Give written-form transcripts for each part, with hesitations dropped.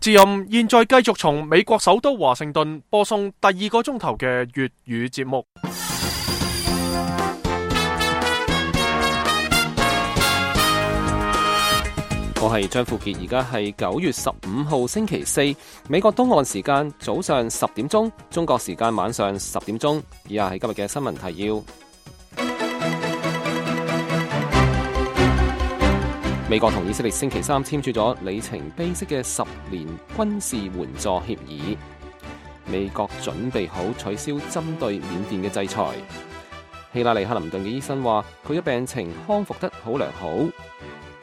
自任現在繼續從美國首都華盛頓播送第2個鐘頭嘅粵語節目。我係張富傑，而家係9月15號星期四，美國東岸時間早上10點鐘，中國時間晚上10點鐘。以下係今日嘅新聞提要。美國同以色列星期三簽署咗里程碑式嘅10年軍事援助協議。美國準備好取消針對緬甸嘅制裁。希拉里克林頓嘅醫生話，佢嘅病情康復得好良好。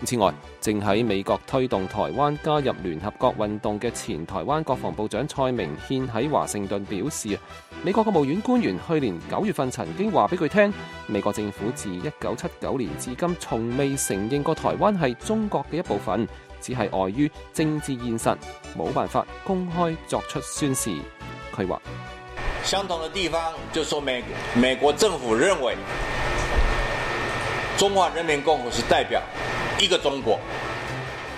此外，正喺美國推動台灣加入聯合國運動嘅前台灣國防部長蔡明憲喺華盛頓表示，美國國務院官員去年9月份曾經話俾佢聽，美國政府自1979年至今從未承認過台灣係中國嘅一部分，只係礙於政治現實，冇辦法公開作出宣示。佢話，相同的地方就說美國政府認為中華人民共和國是代表一個中國。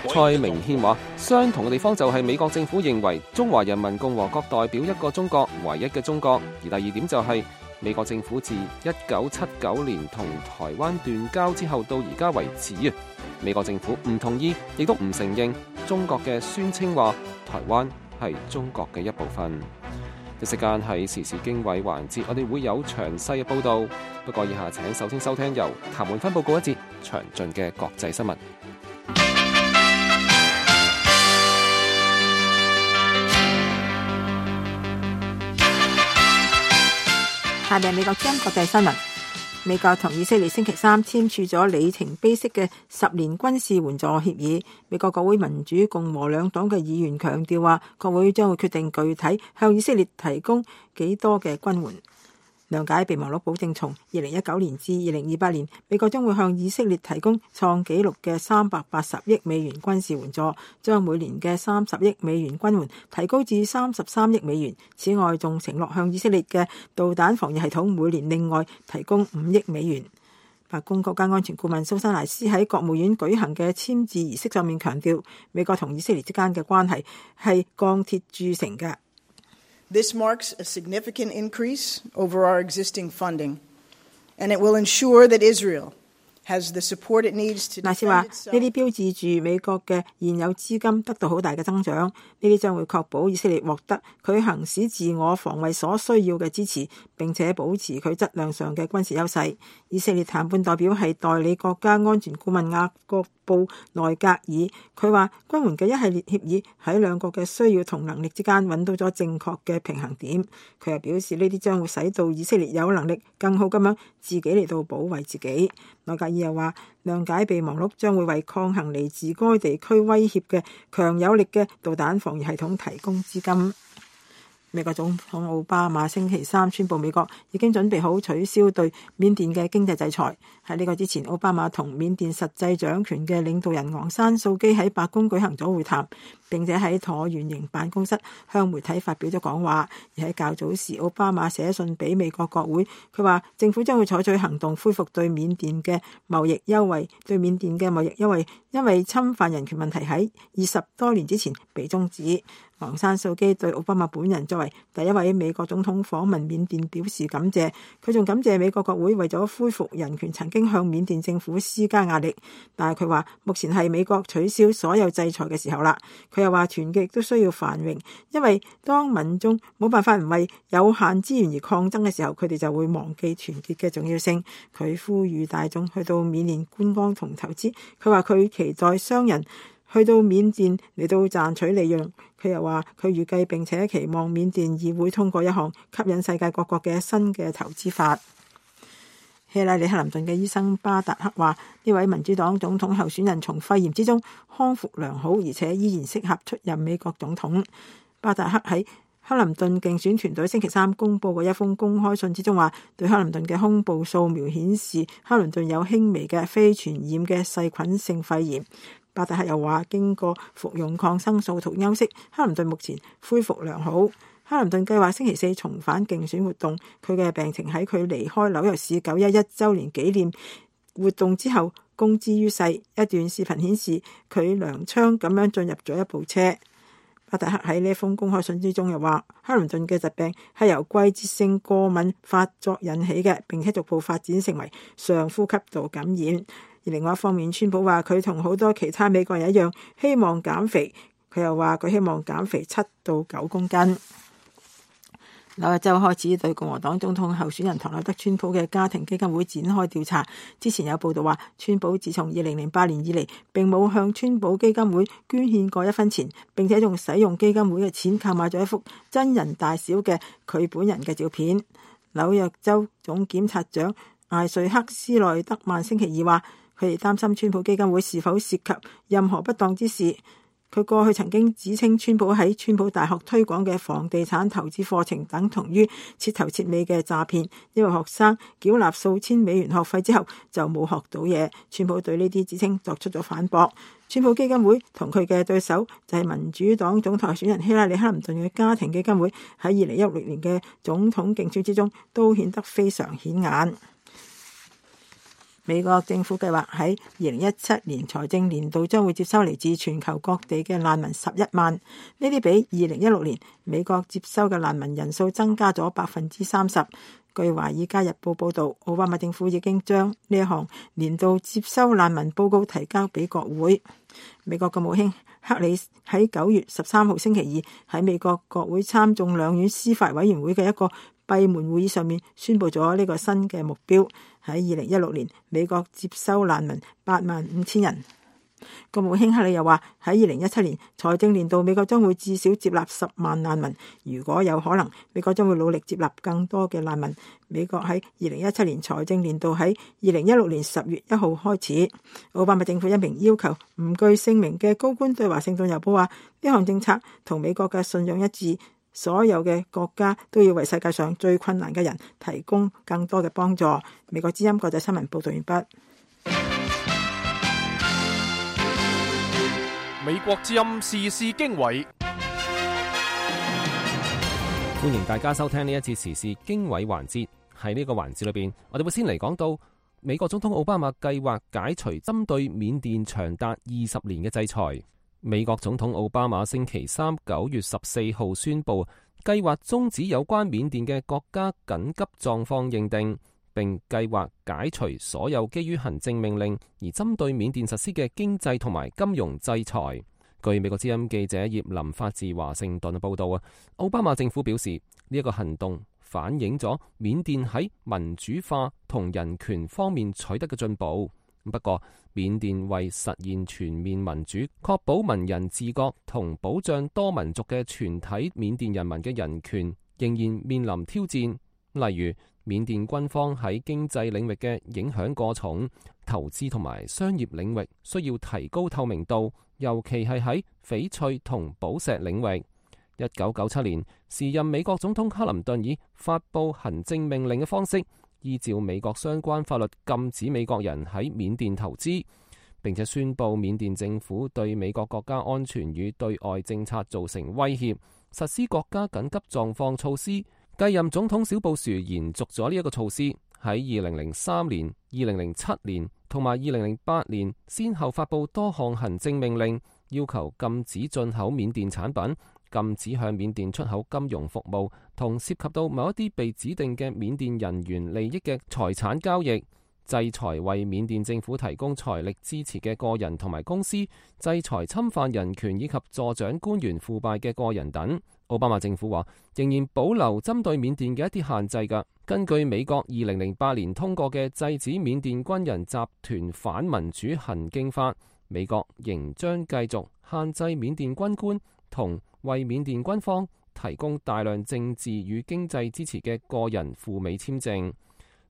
蔡明憲話，相同嘅地方就係美國政府認為中華人民共和國代表一個中國，唯一嘅中國。而第二點就係美國政府自1979年同台灣斷交之後到而家為止，美國政府唔同意，亦都唔承認中國嘅宣稱話台灣係中國嘅一部分。一時間喺時事經緯環節，我哋會有詳細嘅報道。不過以下請首先收聽由譚煥芬報告一節詳盡嘅國際新聞。下面美國將國際新聞。美國同以色列星期三簽署咗里程碑式嘅10年軍事援助協議。美國國會民主共和兩黨嘅議員強調話，國會將會決定具體向以色列提供幾多嘅軍援。諒解備忘錄保證，從2019年至2028年，美國將會向以色列提供創紀錄嘅380億美元軍事援助，將每年嘅30億美元軍援提高至33億美元。此外，仲承諾向以色列嘅導彈防禦系統每年另外提供5億美元。白宮國家安全顧問蘇珊萊斯喺國務院舉行嘅簽字儀式上面強調，美國同以色列之間嘅關係係鋼鐵鑄成嘅。This marks a significant increase over our existing funding, and it will ensure that Israel has the support it needs to defend itself. 萊斯話：呢啲標誌住美國嘅現有資金得到好大嘅增長，呢啲將會確保以色列獲得佢行使自我防衛所需要嘅支持，並且保持佢質量上嘅軍事優勢。以色列談判代表係代理國家安全顧問雅各布內格爾，佢話軍援嘅一系列協議喺兩國嘅需要同能力之間揾到咗正確嘅平衡點。佢又表示呢啲將會使到以色列有能力更好咁樣自己嚟到保衛自己。內格爾又話，諒解備忘錄將會為抗衡嚟自該地區威脅嘅強有力嘅導彈防禦系統提供資金。美國總統奧巴馬星期三宣布，美國已經準備好取消對緬甸嘅經濟制裁。喺呢個之前，奧巴馬同緬甸實際掌權嘅領導人昂山素基喺白宮舉行咗會談，並且喺橢圓形辦公室向媒體發表咗講話。而喺較早時，奧巴馬寫信俾美國國會，佢話政府將會採取行動恢復對緬甸嘅貿易優惠。對緬甸嘅貿易優惠因為侵犯人權問題喺20多年之前被終止。昂山素基對奧巴馬本人作為第一位美國總統訪問緬甸表示感謝，佢仲感謝美國國會為咗恢復人權曾經向緬甸政府施加壓力，但係佢話目前係美國取消所有制裁嘅時候啦。佢又話團結都需要繁榮，因為當民眾冇辦法唔為有限資源而抗爭嘅時候，佢哋就會忘記團結嘅重要性。佢呼籲大眾去到緬甸觀光同投資，佢話佢期待商人去到緬甸嚟到賺取利潤。佢又話佢預計並且期望緬甸議會通過一項吸引世界各國嘅新嘅投資法。希拉里克林頓嘅醫生巴達克話，呢位民主黨總統候選人從肺炎之中康復良好，而且依然適合出任美國總統。巴達克喺克林頓競選團隊星期三公佈嘅一封公開信之中話，對克林頓嘅胸部掃描顯示克林頓有輕微嘅非傳染嘅細菌性肺炎。巴達克又話，經過服用抗生素同休息，克林頓目前恢復良好。克林頓計劃星期四重返競選活動，佢嘅病情喺佢離開紐約市911週年紀念活動之後公之於世。一段視頻顯示佢踉蹌咁樣進入咗一部車。巴特克喺呢封公開信之中又話，克林頓嘅疾病係由季節性過敏發作引起嘅，並且逐步發展成為上呼吸道感染。而另外一方面，川普話佢同好多其他美國人一樣希望減肥，佢又話佢希望減肥7到9公斤。紐約州開始對共和黨總統候選人唐納德·川普嘅家庭基金會展開調查。之前有報道話，川普自從2008年以嚟並冇向川普基金會捐獻過1分錢，並且仲使用基金會嘅錢購買咗一幅真人大小嘅佢本人嘅照片。紐約州總檢察長艾瑞克斯內德曼星期二話，佢哋擔心川普基金會是否涉及任何不當之事。佢過去曾經指稱川普喺川普大學推廣嘅房地產投資課程等同於徹頭徹尾嘅詐騙，因為學生繳納數千美元學費之後就冇學到嘢。川普對呢啲指稱作出咗反駁。川普基金會同佢嘅對手就係民主黨總統候選人希拉里·克林頓嘅家庭基金會喺2016年嘅總統競選之中都顯得非常顯眼。美國政府計劃喺2017年財政年度將會接收嚟自全球各地嘅難民11萬，呢啲比2016年美國接收嘅難民人數增加咗30%。據華爾街日報報導，奧巴馬政府已經將呢一項年度接收難民報告提交俾國會。美國國務卿克里喺9月13號星期二喺美國國會參眾兩院司法委員會嘅一個閉門會議上面宣布咗呢個新嘅目標。喺2016年，美國接收難民85000人。國務卿克里又話，喺2017年財政年度，美國將會至少接納10萬難民。如果有可能，美國將會努力接納更多嘅難民。美國喺2017年財政年度喺2016年10月1號開始。奧巴馬政府一名要求唔具姓名嘅高官對華盛頓郵報話，呢項政策同美國嘅信仰一致。所有嘅國家都要為世界上最困難嘅人提供更多嘅幫助。美國之音國際新聞報道完畢。美國之音時事經緯，歡迎大家收聽呢一節時事經緯環節。喺呢個環節裏邊，我哋會先嚟講到美國總統奧巴馬計劃解除針對緬甸長達20年嘅制裁。美國總統奧巴馬星期三9月14號宣布，計劃終止有關緬甸嘅國家緊急狀況認定，並計劃解除所有基於行政命令而針對緬甸實施嘅經濟同埋金融制裁。據美國之音記者葉林發自華盛頓嘅報道啊，奧巴馬政府表示呢一個行動反映咗緬甸喺民主化同人權方面取得嘅進步。不過，緬甸為實現全面民主、確保文人自覺同保障多民族嘅全體緬甸人民嘅人權，仍然面臨挑戰。例如，緬甸軍方喺經濟領域嘅影響過重，投資同埋商業領域需要提高透明度，尤其係喺翡翠同寶石領域。1997年，時任美國總統克林頓以發布行政命令嘅方式，依照美國相關法律禁止美國人喺緬甸投資，並且宣布緬甸政府對美國國家安全與對外政策造成威脅，實施國家緊急狀況措施。繼任總統小布殊延續咗呢一個措施，喺2003年、2007年同埋2008年，先後發布多項行政命令，要求禁止進口緬甸產品，禁止向緬甸出口金融服務，同涉及到某一啲被指定嘅緬甸人員利益嘅財產交易，制裁為緬甸政府提供財力支持嘅個人同埋公司，制裁侵犯人權以及助長官員腐敗嘅個人等。奧巴馬政府話仍然保留針對緬甸嘅一啲限制㗎。根據美國2008年通過嘅制止緬甸軍人集團反民主行徑法，美國仍將繼續限制緬甸軍官同為緬甸軍方提供大量政治與經濟支持嘅個人赴美簽證。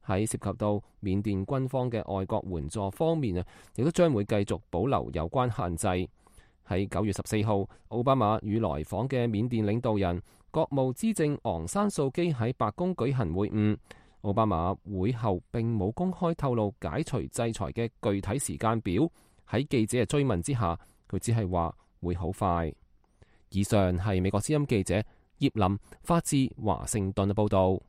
喺涉及到緬甸軍方嘅外國援助方面啊，亦都將會繼續保留有關限制。喺9月14號，奧巴馬與來訪嘅緬甸領導人國務資政昂山素基喺白宮舉行會晤。奧巴馬會後並冇公開透露解除制裁嘅具體時間表。喺記者嘅追問之下，佢只係話會好快。以上係美國之音記者葉林發自華盛頓嘅報道。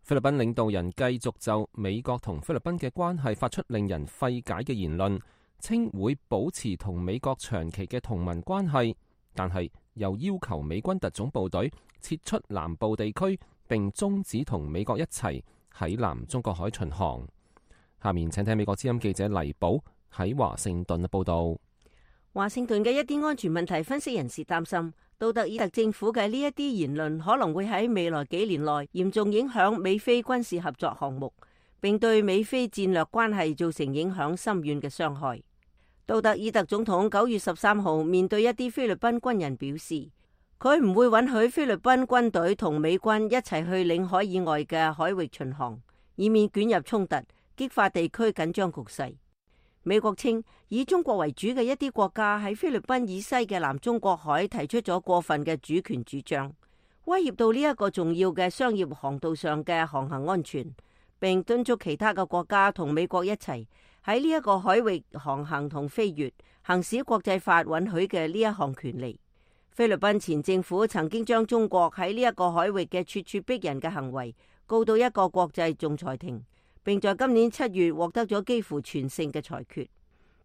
菲律賓領導人繼續就美國同菲律賓嘅關係發出令人費解嘅言論。稱會保持同美國長期嘅同盟關係，但係又要求美軍特種部隊撤出南部地區，並終止同美國一齊喺南中國海巡航。下面請聽美國之音記者黎寶喺華盛頓嘅報道。華盛頓嘅一啲安全問題分析人士擔心，杜特爾特政府嘅呢一啲言論可能會喺未來幾年內嚴重影響美菲軍事合作項目，並對美菲戰略關係造成影響深遠嘅傷害。杜特爾特總統9月13號面對一啲菲律賓軍人表示，佢唔會允許菲律賓軍隊同美軍一齊去領海以外嘅海域巡航，以免捲入衝突，激化地區緊張局勢。美國稱，以中國為主嘅一啲國家喺菲律賓以西嘅南中國海提出咗過分嘅主權主張，威脅到呢一個重要嘅商業航道上嘅航行安全，並敦促其他嘅國家同美國一齊喺呢一個海域航行同飛越，行使國際法允許嘅呢一項權利。菲律賓前政府曾經將中國喺呢一個海域嘅咄咄逼人嘅行為告到一個國際仲裁庭，並在今年7月獲得咗幾乎全勝嘅裁決。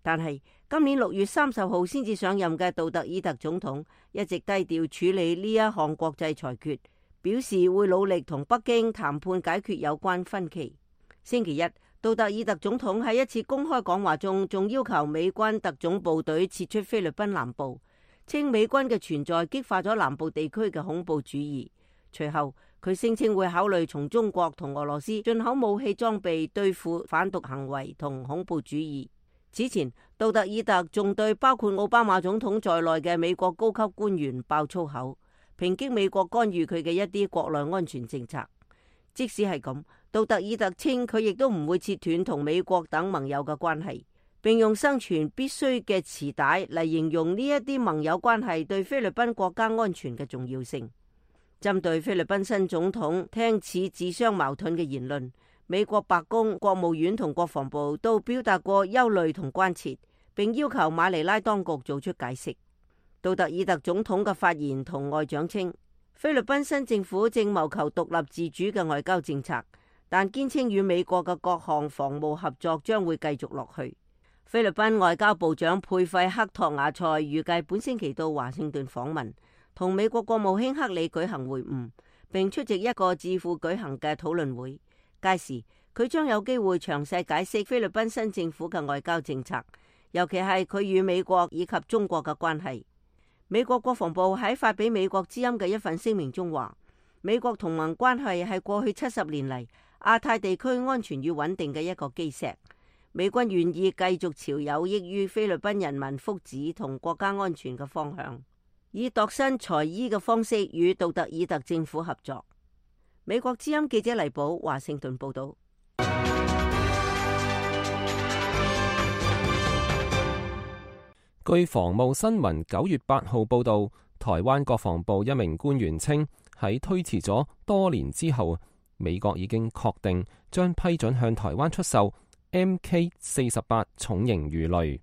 但係今年6月30號先至上任嘅杜特爾特總統一直低調處理呢一項國際裁決，表示會努力同北京談判解決有關分歧。星期一，杜特爾特總統喺一次公開講話中仲要求美軍特種部隊撤出菲律賓南部，稱美軍嘅存在激化咗南部地區嘅恐怖主義。隨後佢聲稱會考慮從中國同俄羅斯進口武器裝備對付販毒行為同恐怖主義。此前，杜特爾特仲對包括奧巴馬總統在內嘅美國高級官員爆粗口，抨擊美國干預佢嘅一啲國內安全政策。即使係咁，杜特爾特稱佢亦都唔會切斷同美國等盟友嘅關係，並用生存必須嘅臍帶嚟形容呢一啲盟友關係對菲律賓國家安全嘅重要性。針對菲律賓新總統聽似自相矛盾嘅言論，美國白宮、國務院同國防部都表達過憂慮同關切，並要求馬尼拉當局做出解釋。杜特爾特總統嘅發言同外長稱，菲律賓新政府正謀求獨立自主嘅外交政策，但堅稱與美國嘅各項防務合作將會繼續落去。菲律賓外交部長佩費克托瓦塞預計本星期到華盛頓訪問，同美國國務卿克里舉行會晤，並出席一個智庫舉行嘅討論會。屆時佢將有機會詳細解釋菲律賓新政府嘅外交政策，尤其係佢與美國以及中國嘅關係。美國國防部喺發俾美國之音嘅一份聲明中話，美國同盟關係係過去70年嚟亞太地區安全與穩定嘅一個基石。美軍願意繼續朝有益於菲律賓人民福祉同國家安全嘅方向，以度身裁衣嘅方式與杜特爾特政府合作。美國之音記者黎寶華盛頓報道。據防務新聞9月8號報道，台灣國防部一名官員稱，喺推遲咗多年之後，美國已經確定將批准向台灣出售 MK48 重型魚雷。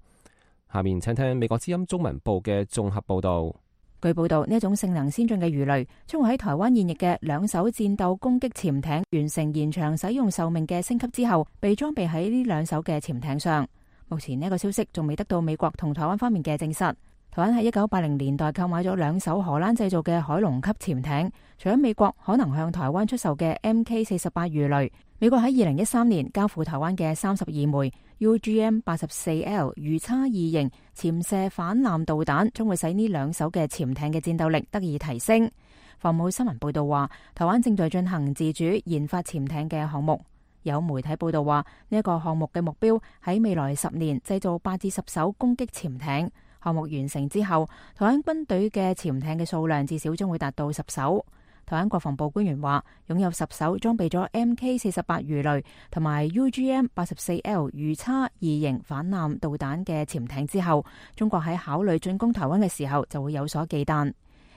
下面請聽美國之音中文部嘅綜合報道。據報道，呢一種性能先進嘅魚雷將會喺台灣現役嘅2艘戰鬥攻擊潛艇完成延長使用壽命嘅升級之後，被裝備喺呢2艘嘅潛艇上。目前呢個消息仲未得到美國同台灣方面嘅證實。台灣喺1980年代購買咗2艘荷蘭製造嘅海龍級潛艇，除咗美國可能向台灣出售嘅 MK48 魚雷，美國喺2013年交付台灣嘅32枚 UGM-84L 魚叉2型潛射反艦導彈，將會使呢2艘嘅潛艇嘅戰鬥力得以提升。防務新聞報道話，台灣正在進行自主研發潛艇嘅項目。有媒體報道話，呢一個項目嘅目標喺未來10年製造8至10艘攻擊潛艇。項目完成之後，台灣軍隊嘅潛艇嘅數量至少將會達到10艘。台灣國防部官員話，擁有10艘裝備咗 MK48 魚雷同埋 UGM-84L 魚叉2型反艦導彈嘅潛艇之後，中國喺考慮進攻台灣嘅時候就會有所忌憚。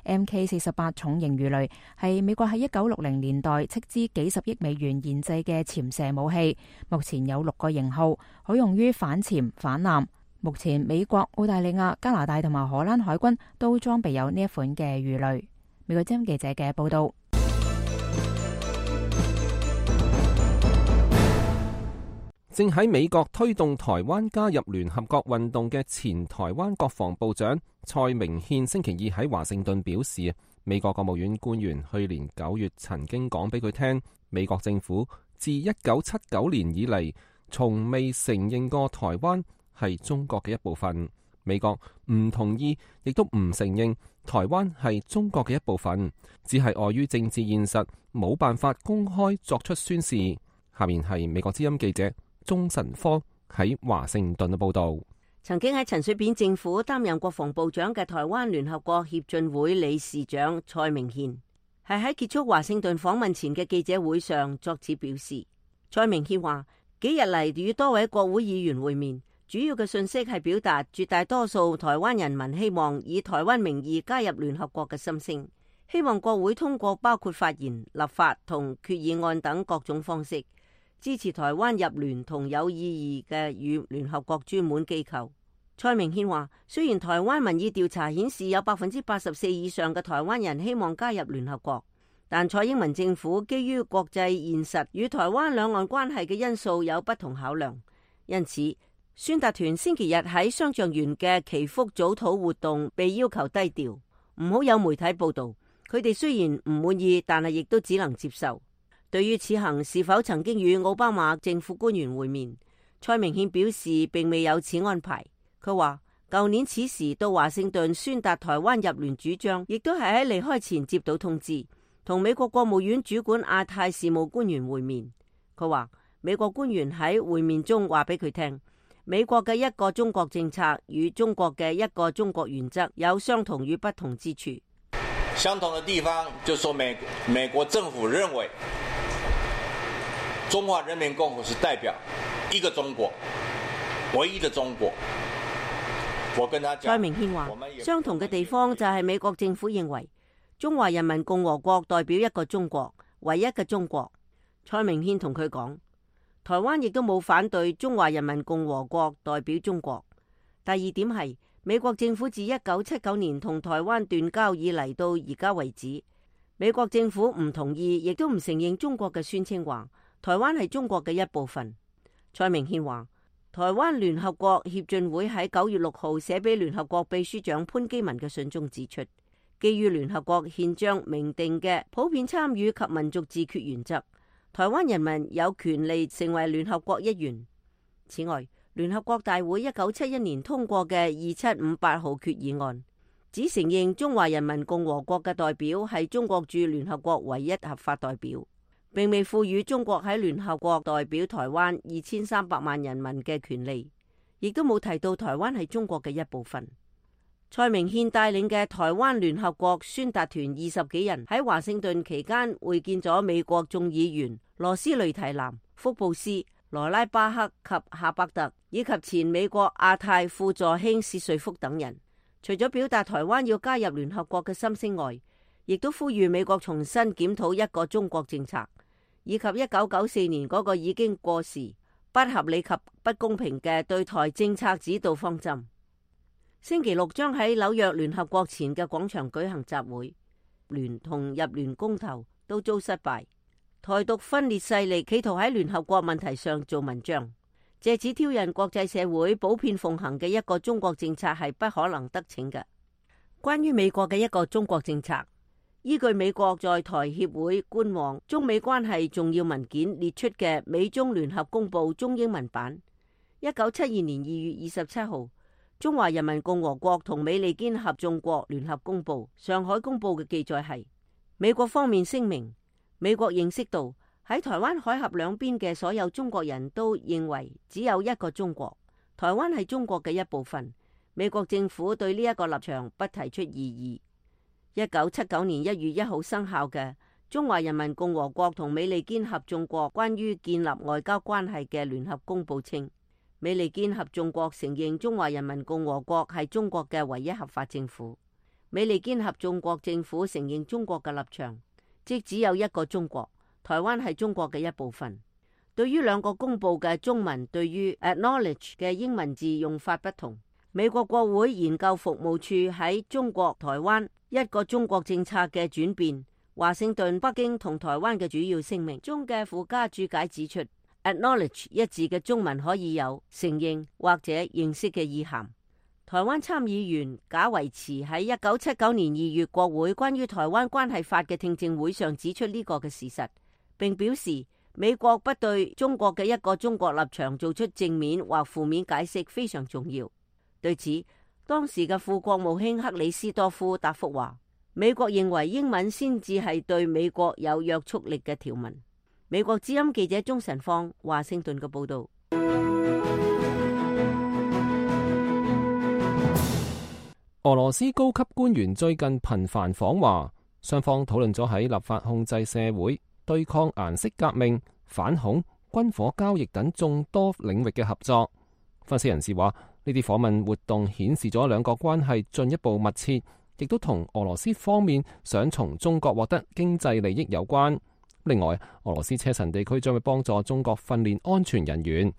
MK48 重型魚雷係美國喺1960年代斥資幾十億美元研製嘅潛射武器，目前有6個型號，可用於反潛反艦。目前美國、澳大利亞、加拿大同埋荷蘭海軍都裝備有呢一款嘅魚雷。美國之音記者嘅報道。正喺美國推動台灣加入聯合國運動嘅前台灣國防部長蔡明憲星期二喺華盛頓表示，美國國務院官員去年9月曾經講俾佢聽，美國政府自1979年以嚟，從未承認過台灣係中國嘅一部分。美國唔同意，亦都唔承認台灣係中國嘅一部分，只係礙於政治現實，冇辦法公開作出宣示。下面係美國之音記者鍾晨科喺華盛頓嘅報道。曾經喺陳水扁政府擔任國防部長嘅台灣聯合國協進會理事長蔡明憲，係喺結束華盛頓訪問前嘅記者會上作此表示。蔡明憲話：幾日嚟與多位國會議員會面，主要嘅訊息係表達絕大多數台灣人民希望以台灣名義加入聯合國嘅心聲，希望國會通過包括發言、立法同決議案等各種方式，支持台灣入聯同有意義嘅與聯合國專門機構。蔡明憲話：雖然台灣民意調查顯示有84%以上嘅台灣人希望加入聯合國，但蔡英文政府基於國際現實與台灣兩岸關係嘅因素有不同考量，因此宣達團星期日喺雙橡園嘅祈福早禱活動被要求低調，唔好有媒體報道。佢哋雖然唔滿意，但係亦都只能接受。對於此行是否曾經與奧巴馬政府官員會面，蔡明憲表示並未有此安排。佢話舊年此時到華盛頓宣達台灣入聯主張，亦都係喺離開前接到通知，同美國國務院主管亞太事務官員會面。佢話美國官員喺會面中話俾佢聽，美國嘅一個中國政策與中國嘅一個中國原則有相同與不同之處。相同的地方就說美國政府認為中華人民共和國是代表一個中國，唯一的中國。我跟他講，蔡明憲話相同嘅地方就係美國政府認為中華人民共和國代表一個中國，唯一嘅中國。蔡明憲同佢講，台灣亦都冇反對中華人民共和國代表中國。第二點係美國政府自1979年同台灣斷交以嚟到而家為止，美國政府唔同意，亦都唔承認中國嘅宣稱話台灣係中國嘅一部分。蔡明憲話，台灣聯合國協進會喺9月6號寫俾聯合國秘書長潘基文嘅信中指出，基於聯合國憲章明定嘅普遍參與及民族自決原則，台灣人民有權利成為聯合國一員。此外，聯合國大會1971年通過嘅2758號決議案，只承認中華人民共和國嘅代表係中國駐聯合國唯一合法代表，並未賦予中國喺聯合國代表台灣2300萬人民嘅權利，亦都冇提到台灣係中國嘅一部分。蔡明憲帶領嘅台灣聯合國宣達團20幾人喺華盛頓期間會見咗美國眾議員羅斯雷提南、福布斯、羅拉巴克及夏伯特，以及前美國亞太副助卿薛瑞福等人。除咗表達台灣要加入聯合國嘅心聲外，亦都呼籲美國重新檢討一個中國政策，以及1994年嗰個已經過時、不合理及不公平嘅對台政策指導方針。星期六將喺紐約聯合國前嘅廣場舉行集會，聯同入聯公投都遭失敗。台獨分裂勢力企圖喺聯合國問題上做文章，借此挑釁國際社會普遍奉行嘅一個中國政策係不可能得逞嘅。關於美國嘅一個中國政策，依據美國在台協會官網中美關係重要文件列出嘅美中聯合公報中英文版，1972年2月27號，中華人民共和國同美利堅合眾國聯合公報上海公報嘅記載係，美國方面聲明，美國認識到喺台灣海峽兩邊嘅所有中國人都認為只有一個中國，台灣係中國嘅一部分。美國政府對呢一個立場不提出異議。1979年1月1號生效嘅中華人民共和國同美利堅合眾國關於建立外交關係嘅聯合公報稱，美利堅合眾國承認中華人民共和國係中國嘅唯一合法政府。美利堅合眾國政府承認中國嘅立場，即只有一個中國，台灣係中國嘅一部分。對於兩個公報嘅中文對於 acknowledge 嘅英文字用法不同，美國國會研究服務處喺中國台灣一個中國政策嘅轉變，華盛頓、北京同台灣嘅主要聲明中嘅附加注解指出， acknowledge 一字嘅中文可以有承認或者認識嘅意涵。台灣參議員賈維慈喺1979年2月國會關於台灣關係法嘅聽證會上指出呢個嘅事實，並表示美國不對中國嘅一個中國立場做出正面或負面解釋非常重要。對此，當時嘅副國務卿克里斯多夫答覆話，美國認為英文先至係對美國有約束力嘅條文。美國之音記者鍾晨芳華盛頓嘅報道。俄羅斯高級官員最近頻繁訪華，雙方討論咗喺立法控制社會、對抗顏色革命、反恐、軍火交易等眾多領域嘅合作。分析人士話，呢啲訪問活動顯示咗兩國關係進一步密切，亦都同俄羅斯方面想從中國獲得經濟利益有關。另外，俄羅斯車臣地區將會幫助中國訓練安全人員。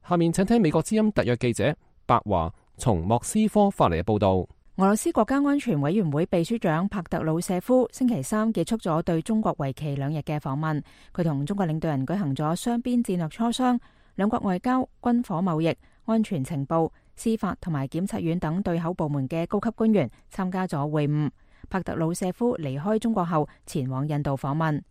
下面請聽美國之音特約記者白華從莫斯科發嚟嘅報道。俄羅斯國家安全委員會秘書長帕特魯舍夫星期三結束咗對中國為期2日嘅訪問，佢同中國領導人舉行咗雙邊戰略磋商，兩國外交、軍火貿易、安全情報、司法同埋檢察院等對口部門嘅高級官員參加咗會晤。帕特魯舍夫離開中國後前往印度訪問。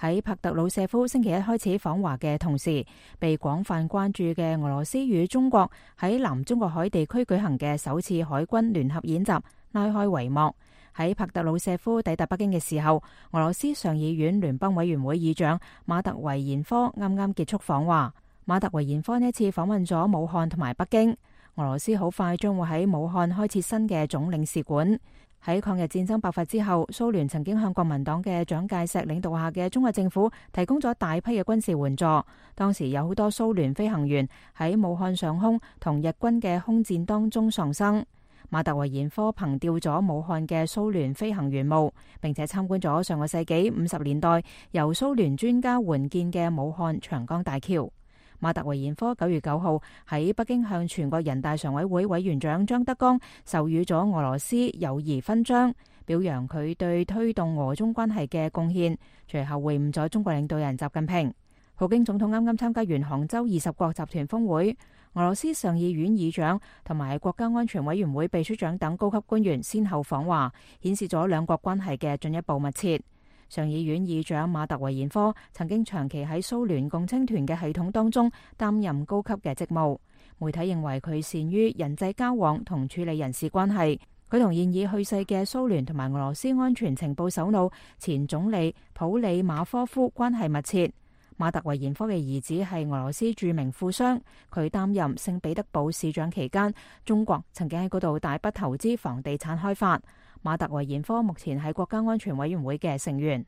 喺帕特魯舍夫星期一開始訪華嘅同時，被廣泛關注嘅俄羅斯與中國喺南中國海地區舉行嘅首次海軍聯合演習拉開帷幕。喺帕特魯舍夫抵達北京嘅時候，俄羅斯上議院聯邦委員會議長馬特維延科啱啱結束訪華。馬特維延科呢次訪問咗武漢同埋北京。俄羅斯好快將會喺武漢開設新嘅總領事館。喺抗日戰爭爆發之後，蘇聯曾經向國民黨嘅蔣介石領導下嘅中國政府提供咗大批嘅軍事援助。當時有好多蘇聯飛行員喺武漢上空同日軍嘅空戰當中喪生。馬特維延科憑吊咗武漢嘅蘇聯飛行員墓，並且參觀咗上個世紀50年代由蘇聯專家援建嘅武漢長江大橋。馬特維延科9月9號喺北京向全國人大常委會委員長張德江授予咗俄羅斯友誼勳章，表揚佢對推動俄中關係嘅貢獻。隨後會晤咗中國領導人習近平。普京總統啱啱參加完杭州20國集團峰會，俄羅斯上議院議長同埋國家安全委員會秘書長等高級官員先後訪華，顯示咗兩國關係嘅進一步密切。上議院議長馬特維延科曾經長期喺蘇聯共青團嘅系統當中擔任高級嘅職務。媒體認為佢善於人際交往同處理人事關係。佢同現已去世嘅蘇聯同埋俄羅斯安全情報首腦前總理普里馬科夫關係密切。馬特維延科嘅兒子係俄羅斯著名富商，佢擔任聖彼得堡市長期間，中國曾經喺嗰度大筆投資房地產開發。馬特維延科目前係國家安全委員會嘅成員。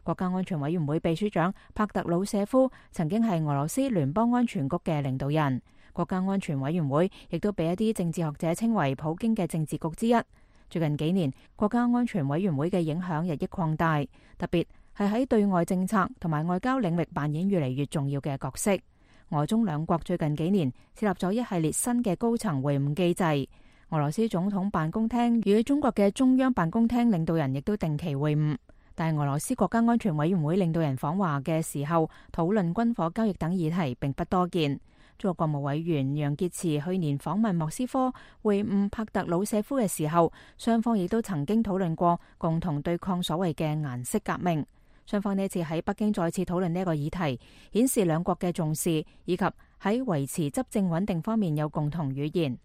國家安全委員會秘書長帕特魯舍夫曾經係俄羅斯聯邦安全局嘅領導人。國家安全委員會亦都被一啲政治學者稱為普京嘅政治局之一。最近幾年，國家安全委員會嘅影響日益擴大，特別係喺對外政策同埋外交領域扮演越嚟越重要嘅角色。俄中兩國最近幾年設立咗一系列新嘅高層會晤機制。俄羅斯總統辦公廳與中國嘅中央辦公廳領導人亦都定期會晤，但係俄羅斯國家安全委員會領導人訪華嘅時候討論軍火交易等議題並不多見。中國國務委員楊潔篪去年訪問莫斯科會晤帕特魯舍夫嘅時候，雙方亦都曾經討論過共同對抗所謂嘅顏色革命。雙方呢次喺北京再次討論呢個議題，顯示兩國嘅重視以及喺維持執政穩定方面有共同語言。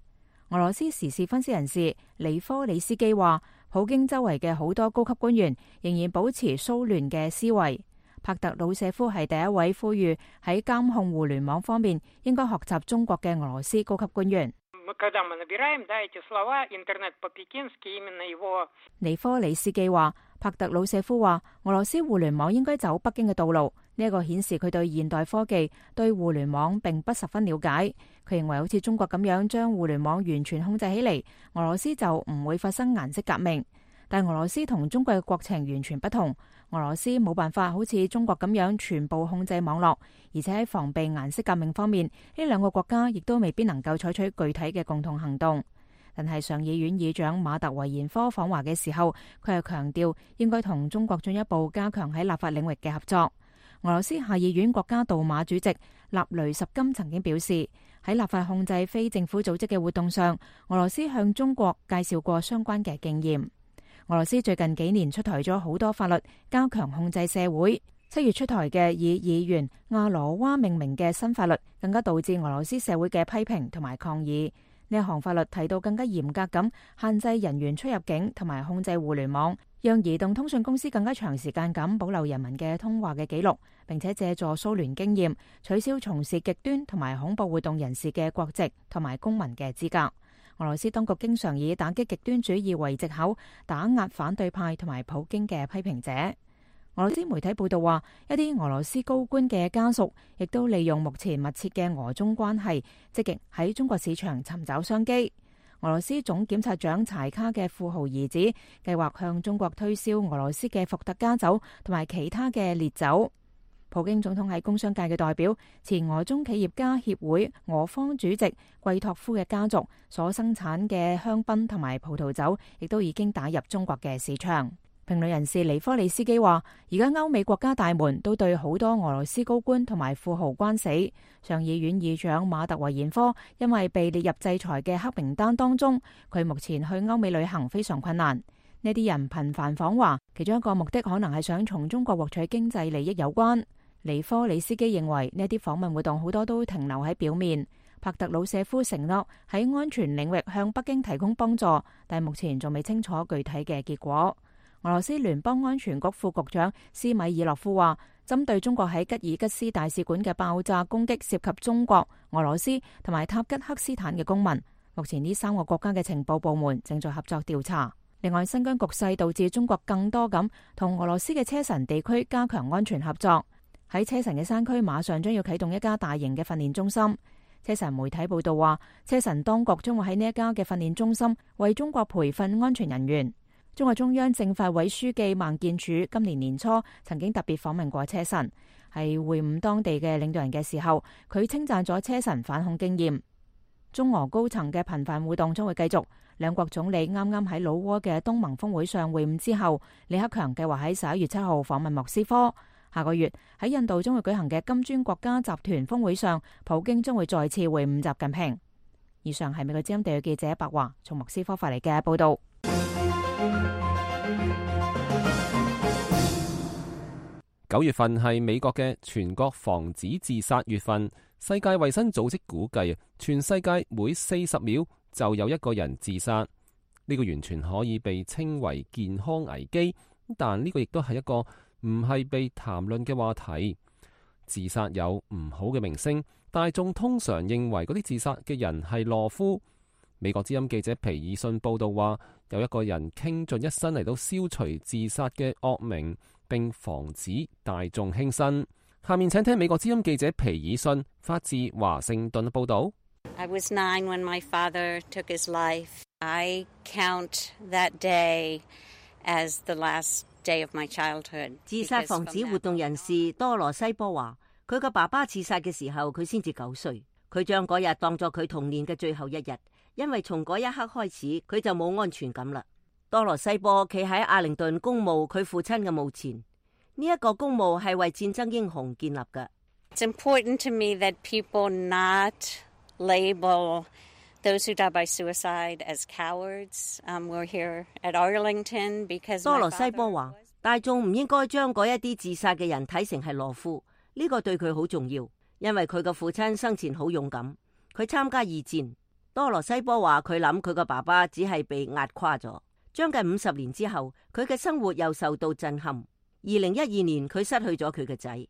俄羅斯時事分析人士尼科里斯基話，普京周圍嘅好多高級官員仍然保持蘇聯嘅思維。帕特魯舍夫係第一位呼籲喺監控互聯網方面應該學習中國嘅俄羅斯高級官員。尼科里斯基話，帕特魯舍夫話，俄羅斯互聯網應該走北京嘅道路。呢一個顯示佢對現代科技、對互聯網並不十分了解。佢認為好似中國咁樣將互聯網完全控制起嚟，俄羅斯就唔會發生顏色革命。但俄羅斯同中國嘅國情完全不同，俄羅斯冇辦法好似中國咁樣全部控制網絡，而且喺防備顏色革命方面，呢兩個國家亦都未必能夠採取具體嘅共同行動。但係上議院議長馬特維延科訪華嘅時候，佢係強調應該同中國進一步加強喺立法領域嘅合作。俄羅斯下議院國家杜馬主席納雷什金曾經表示，喺立法控制非政府組織嘅活動上，俄羅斯向中國介紹過相關嘅經驗。俄羅斯最近幾年出台咗好多法律，加強控制社會。7月出台嘅以議員亞羅娃命名嘅新法律，更加導致俄羅斯社會嘅批評同埋抗議。呢一項法律提到更加嚴格咁限制人員出入境同埋控制互聯網，讓移動通訊公司更加長時間咁保留人民嘅通話嘅記錄，並且借助蘇聯經驗，取消從事極端同埋恐怖活動人士嘅國籍同埋公民嘅資格。俄羅斯當局經常以打擊極端主義為藉口，打壓反對派同埋普京嘅批評者。俄羅斯媒體報道話，一啲俄羅斯高官嘅家屬亦都利用目前密切嘅俄中關係，積極喺中國市場尋找商機。俄羅斯總檢察長柴卡嘅富豪兒子計劃向中國推銷俄羅斯嘅伏特加酒同埋其他嘅烈酒。普京總統喺工商界嘅代表、前俄中企業家協會俄方主席季托夫嘅家族所生產嘅香檳同埋葡萄酒，亦都已經打入中國嘅市場。評論人士尼科里斯基話，而家歐美國家大門都對好多俄羅斯高官同埋富豪關死。上議院議長馬特維延科因為被列入制裁嘅黑名單當中，佢目前去歐美旅行非常困難。呢啲人頻繁訪華，其中一個目的可能係想從中國獲取經濟利益有關。尼科里斯基認為呢啲訪問活動好多都停留喺表面。帕特魯舍夫承諾喺安全領域向北京提供幫助，但目前仲未清楚具體嘅結果。俄羅斯聯邦安全局副局長斯米爾諾夫話，針對中國喺吉爾吉斯大使館嘅爆炸攻擊涉及中國、俄羅斯同埋塔吉克斯坦嘅公民。目前呢3個國家嘅情報部門正在合作調查。另外，新疆局勢導致中國更多咁同俄羅斯嘅車臣地區加強安全合作。喺車臣嘅山區馬上將要啟動一家大型嘅訓練中心。車臣媒體報道話，車臣當局將會喺呢一家嘅訓練中心為中國培訓安全人員。中國中央政法委書記孟建柱今年年初曾經特別訪問過車臣，喺會晤當地嘅領導人嘅時候，佢稱讚咗車臣反恐經驗。中俄高層嘅頻繁互動將會繼續。兩國總理啱啱喺老撾嘅東盟峰會上會晤之後，李克強計劃喺11月7號訪問莫斯科。下個月喺印度將會舉行嘅金磚國家集團峰會上，普京將會再次會晤習近平。以上係美國之音地記者白華從莫斯科發嚟嘅報道。9月份係美國嘅全國防止自殺月份。世界衛生組織估計，全世界每40秒就有一個人自殺。呢個完全可以被稱為健康危機，但呢個亦都係一個唔係被談論嘅話題。自殺有唔好嘅名聲，大眾通常認為嗰啲自殺嘅人係懦夫。美國之音記者皮爾遜報道話，有一個人傾盡一生嚟到消除自殺嘅惡名，並防止大眾輕生。下面請聽美國之音記者皮爾遜發自華盛頓報道。I was 9 when my father took his life. I count that day as the last day of my childhood. 自殺防止活動人士多羅西波話，佢個爸爸自殺嘅時候，佢先至9歲。佢將嗰日當作佢童年嘅最後一日，因為從嗰一刻開始，佢就冇安全感啦。多羅西波企喺阿靈頓公墓佢父親嘅墓前，呢一個公墓係為戰爭英雄建立嘅。It's important to me that people not label those who die by suicide as cowards. We're here at Arlington because 多羅西波話，大眾唔應該將嗰一啲自殺嘅人睇成係懦夫，呢個對佢好重要，因為佢個父親生前好勇敢，佢參加2戰。多羅西波話，佢諗佢個爸爸只係被壓垮咗。將近50年之後，佢嘅生活又受到震撼。2012年，佢失去咗佢嘅仔。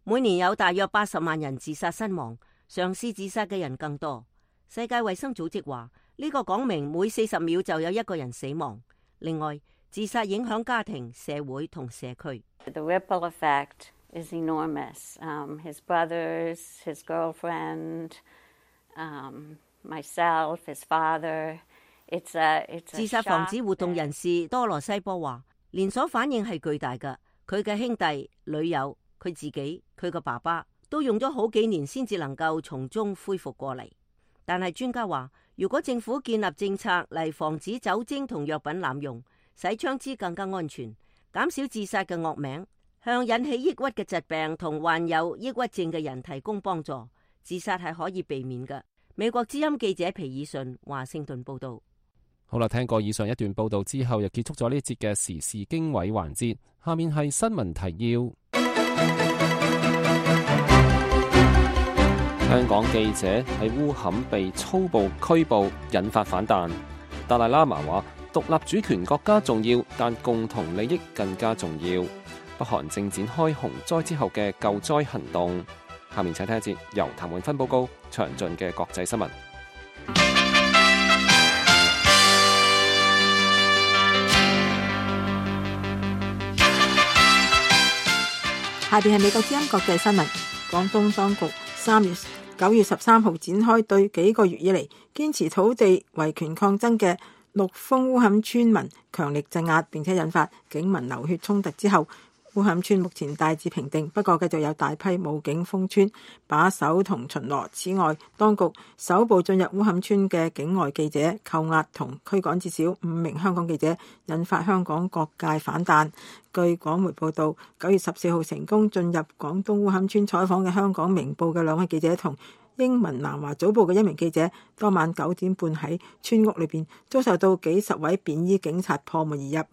每年有大約80萬人自殺身亡，嘗試自殺嘅人更多。世界衛生組織話，呢個講明每40秒就有一個人死亡。另外，自殺影響家庭、社會同社區。The ripple effect is enormous. His brothers, his girlfriend, myself, his father. It's a 自殺防止活動人士多羅西波話，連鎖反應係巨大㗎。佢嘅兄弟、女友、佢自己、佢個爸爸都用咗好幾年先至能夠從中恢復過嚟。但係專家話，如果政府建立政策嚟防止酒精同藥品濫用，使槍支更加安全，減少自殺嘅惡名，向引起抑鬱嘅疾病同患有抑鬱症嘅人提供幫助。自殺係可以避免嘅。美國之音記者皮爾遜華盛頓報道。好啦，聽過以上一段報道之後，又結束咗呢節嘅時事經緯環節。下面係新聞提要。香港記者喺烏坎被粗暴拘捕，引發反彈。達賴喇嘛話：獨立主權國家重要，但共同利益更加重要。北韓正展開洪災之後嘅救災行動。下面請聽一節由譚永芬報告詳盡嘅國際新聞。下邊係美國之音國際新聞。廣東當局9月13號展開對幾個月以嚟堅持土地維權抗爭嘅陸豐烏坎村民強力鎮壓，並且引發警民流血衝突之後，烏坎村目前大致平定，不過繼續有大批武警封村把守同巡邏。此外，當局首部進入烏坎村嘅境外記者扣押同驅趕至少5名香港記者，引發香港各界反彈。據廣媒報道，9月14號成功進入廣東烏坎村採訪嘅香港明報嘅2位記者同英文南華早報嘅1名記者，當晚9點半喺村屋裏邊遭受到幾十位便衣警察破門而入，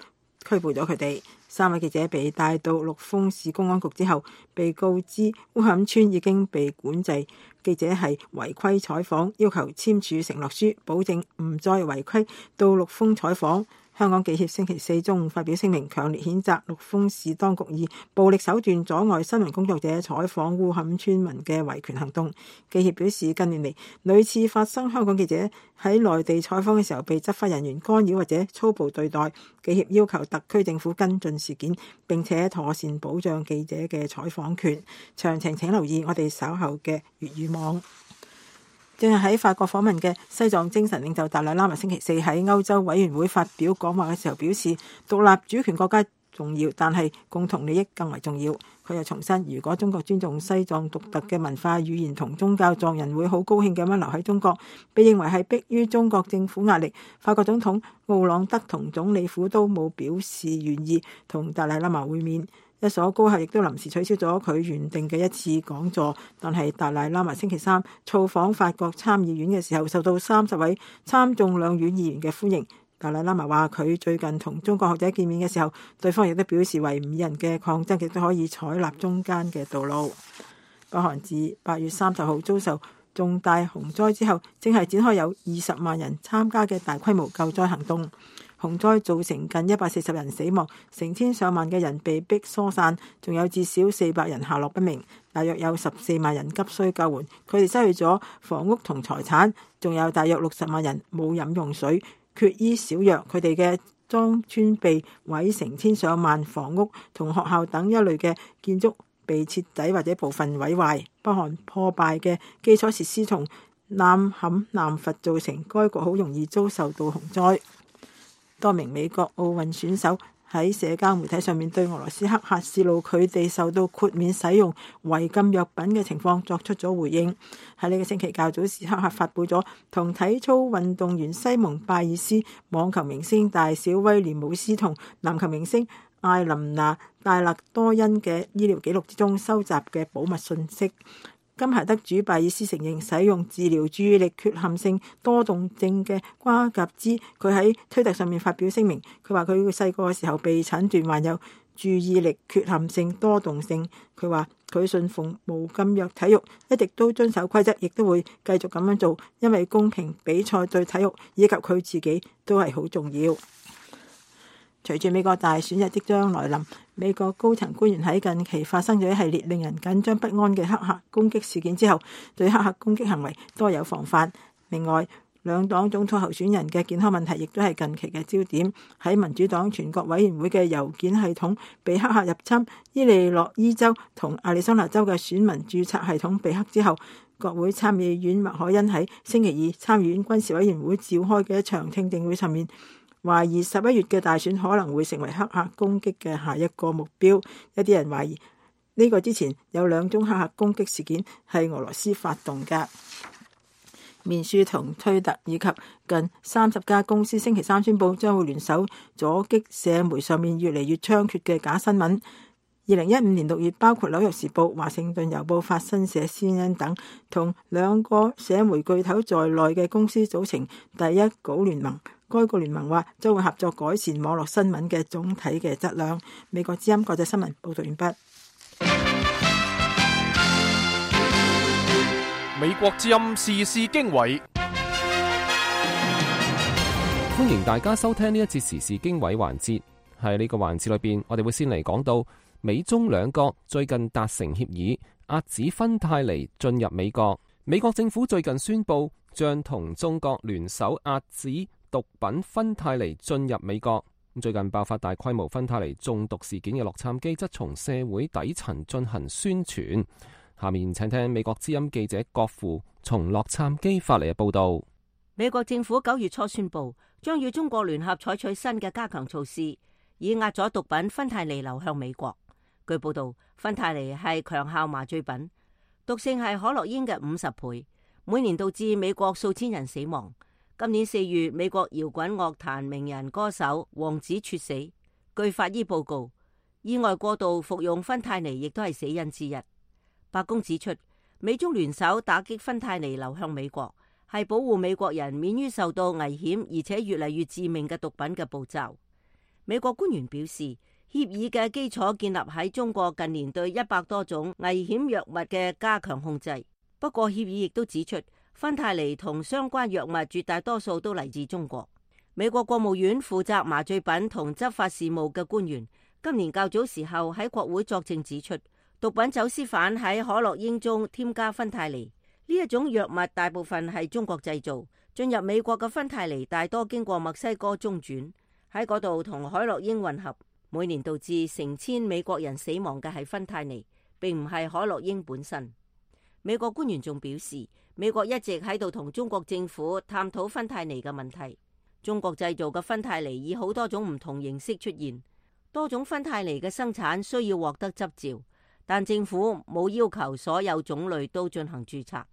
拘捕咗佢哋。3位記者被帶到陸豐市公安局之後，被告知烏坎村已經被管制，記者係違規採訪，要求簽署承諾書，保證唔再違規到陸豐採訪。香港記協星期4中午發表聲明，強烈譴責陸豐市當局以暴力手段阻礙新聞工作者採訪烏坎村民嘅維權行動。記協表示，近年嚟屢次發生香港記者喺內地採訪嘅時候被執法人員干擾或者粗暴對待。記協要求特區政府跟進事件，並且妥善保障記者嘅採訪權。詳情請留意我哋稍後嘅粵語網。正係喺法國訪問嘅西藏精神領袖達賴喇嘛星期4喺歐洲委員會發表講話嘅時候表示，獨立主權國家重要，但係共同利益更為重要。佢又重申，如果中國尊重西藏獨特嘅文化、語言同宗教，藏人會好高興咁樣留喺中國。被認為係迫於中國政府壓力，法國總統奧朗德同總理府都冇表示願意同達賴喇嘛會面。一所高校亦都臨時取消咗佢原定嘅一次講座，但係達賴喇嘛星期3造訪法國參議院嘅時候，受到30位參眾兩院議員嘅歡迎。達賴喇嘛話佢最近同中國學者見面嘅時候，對方亦都表示維吾爾人嘅抗爭亦都可以採納中間嘅道路。北韓自8月30號遭受重大洪災之後，正係展開有20萬人參加嘅大規模救災行動。洪災造成近140人死亡，成千上萬嘅人被迫疏散，仲有至少400人下落不明，大約有14萬人急需救援。佢哋失去咗房屋同財產，仲有大約60萬人冇飲用水，缺衣少藥。佢哋嘅莊村被毀，成千上萬房屋同學校等一類嘅建築被徹底或者部分毀壞。北韓破敗嘅基礎設施同濫砍濫伐造成該國好容易遭受到洪災。多名美國奧運選手喺社交媒體上面對俄羅斯黑客泄露佢哋受到豁免使用違禁藥品嘅情況作出咗回應。喺呢個星期較早時，黑客發布咗同體操運動員西蒙拜爾斯、網球明星大小威廉姆斯同籃球明星艾琳娜戴勒多恩嘅醫療記錄之中收集嘅保密信息。金牌得主拜爾斯承認使用治療注意力缺陷性多動症嘅瓜甲酯。佢喺推特上面發表聲明，佢話佢細個嘅時候被診斷患有注意力缺陷性多動症。佢話佢信奉無禁藥體育，一直都遵守規則，亦都會繼續咁樣做，因為公平比賽對體育以及佢自己都係好重要。隨住美國大選日即將來臨，美國高層官員喺近期發生咗一系列令人緊張不安嘅黑客攻擊事件之後，對黑客攻擊行為多有防範。另外，兩黨總統候選人嘅健康問題亦都係近期嘅焦點。喺民主黨全國委員會嘅郵件系統被黑客入侵，伊利諾伊州同亞利桑那州嘅選民註冊系統被黑之後，國會參議院麥凱恩喺星期二參議院軍事委員會召開嘅一場聽證會上面，懷疑11月嘅大選可能會成為黑客攻擊嘅下一個目標。一啲人懷疑呢個之前有2宗黑客攻擊事件係俄羅斯發動嘅。面書同推特以及近30家公司星期3宣布將會聯手阻擊社媒上面越嚟越猖獗嘅假新聞。2015年6月，包括紐約時報、華盛頓郵報、法新社、CNN 等同2個社媒巨頭在內嘅公司組成第一稿聯盟。該個聯盟話將會合作改善網絡新聞嘅總體嘅質量。美國之音國際新聞報道完畢。美國之音時事經緯，歡迎大家收聽呢一節時事經緯環節。喺呢個環節裏邊，我哋會先嚟講到美中兩國最近達成協議，遏止芬太尼進入美國。美國政府最近宣布將同中國聯手遏止毒品芬太尼進入美國。最近爆發大規模芬太尼中毒事件嘅洛杉磯則從社會底層進行宣傳。下面請聽美國之音記者郭富從洛杉磯發嚟嘅報道。美國政府9月初宣布將與中國聯合採取新嘅加強措施，以壓阻毒品芬太尼流向美國。據報道，芬太尼係強效麻醉品，毒性係可樂煙嘅50倍，每年導致美國數千人死亡。今年4月，美國搖滾樂壇名人歌手王子猝死。據法醫報告，意外過度服用芬太尼亦都係死因之一。白宮指出，美中聯手打擊芬太尼流向美國，係保護美國人免於受到危險而且越嚟越致命嘅毒品嘅步驟。美國官員表示，協議嘅基礎建立喺中國近年對100多種危險藥物嘅加強控制。不過，協議亦都指出，芬太尼同相關藥物絕大多數都嚟自中國。美國國務院負責麻醉品同執法事務嘅官員今年較早時候喺國會作證指出，毒品走私犯喺可樂煙中添加芬太尼，呢一種藥物大部分係中國製造。進入美國嘅芬太尼大多經過墨西哥中轉，喺嗰度同海洛因混合。每年導致成千美國人死亡嘅係芬太尼，並唔係海洛因本身。美國官員仲表示，美國一直喺度同中國政府探討芬太尼嘅問題。中國製造嘅芬太尼以好多種唔同形式出現，多種芬太尼嘅生產需要獲得執照，但政府冇要求所有種類都進行註冊。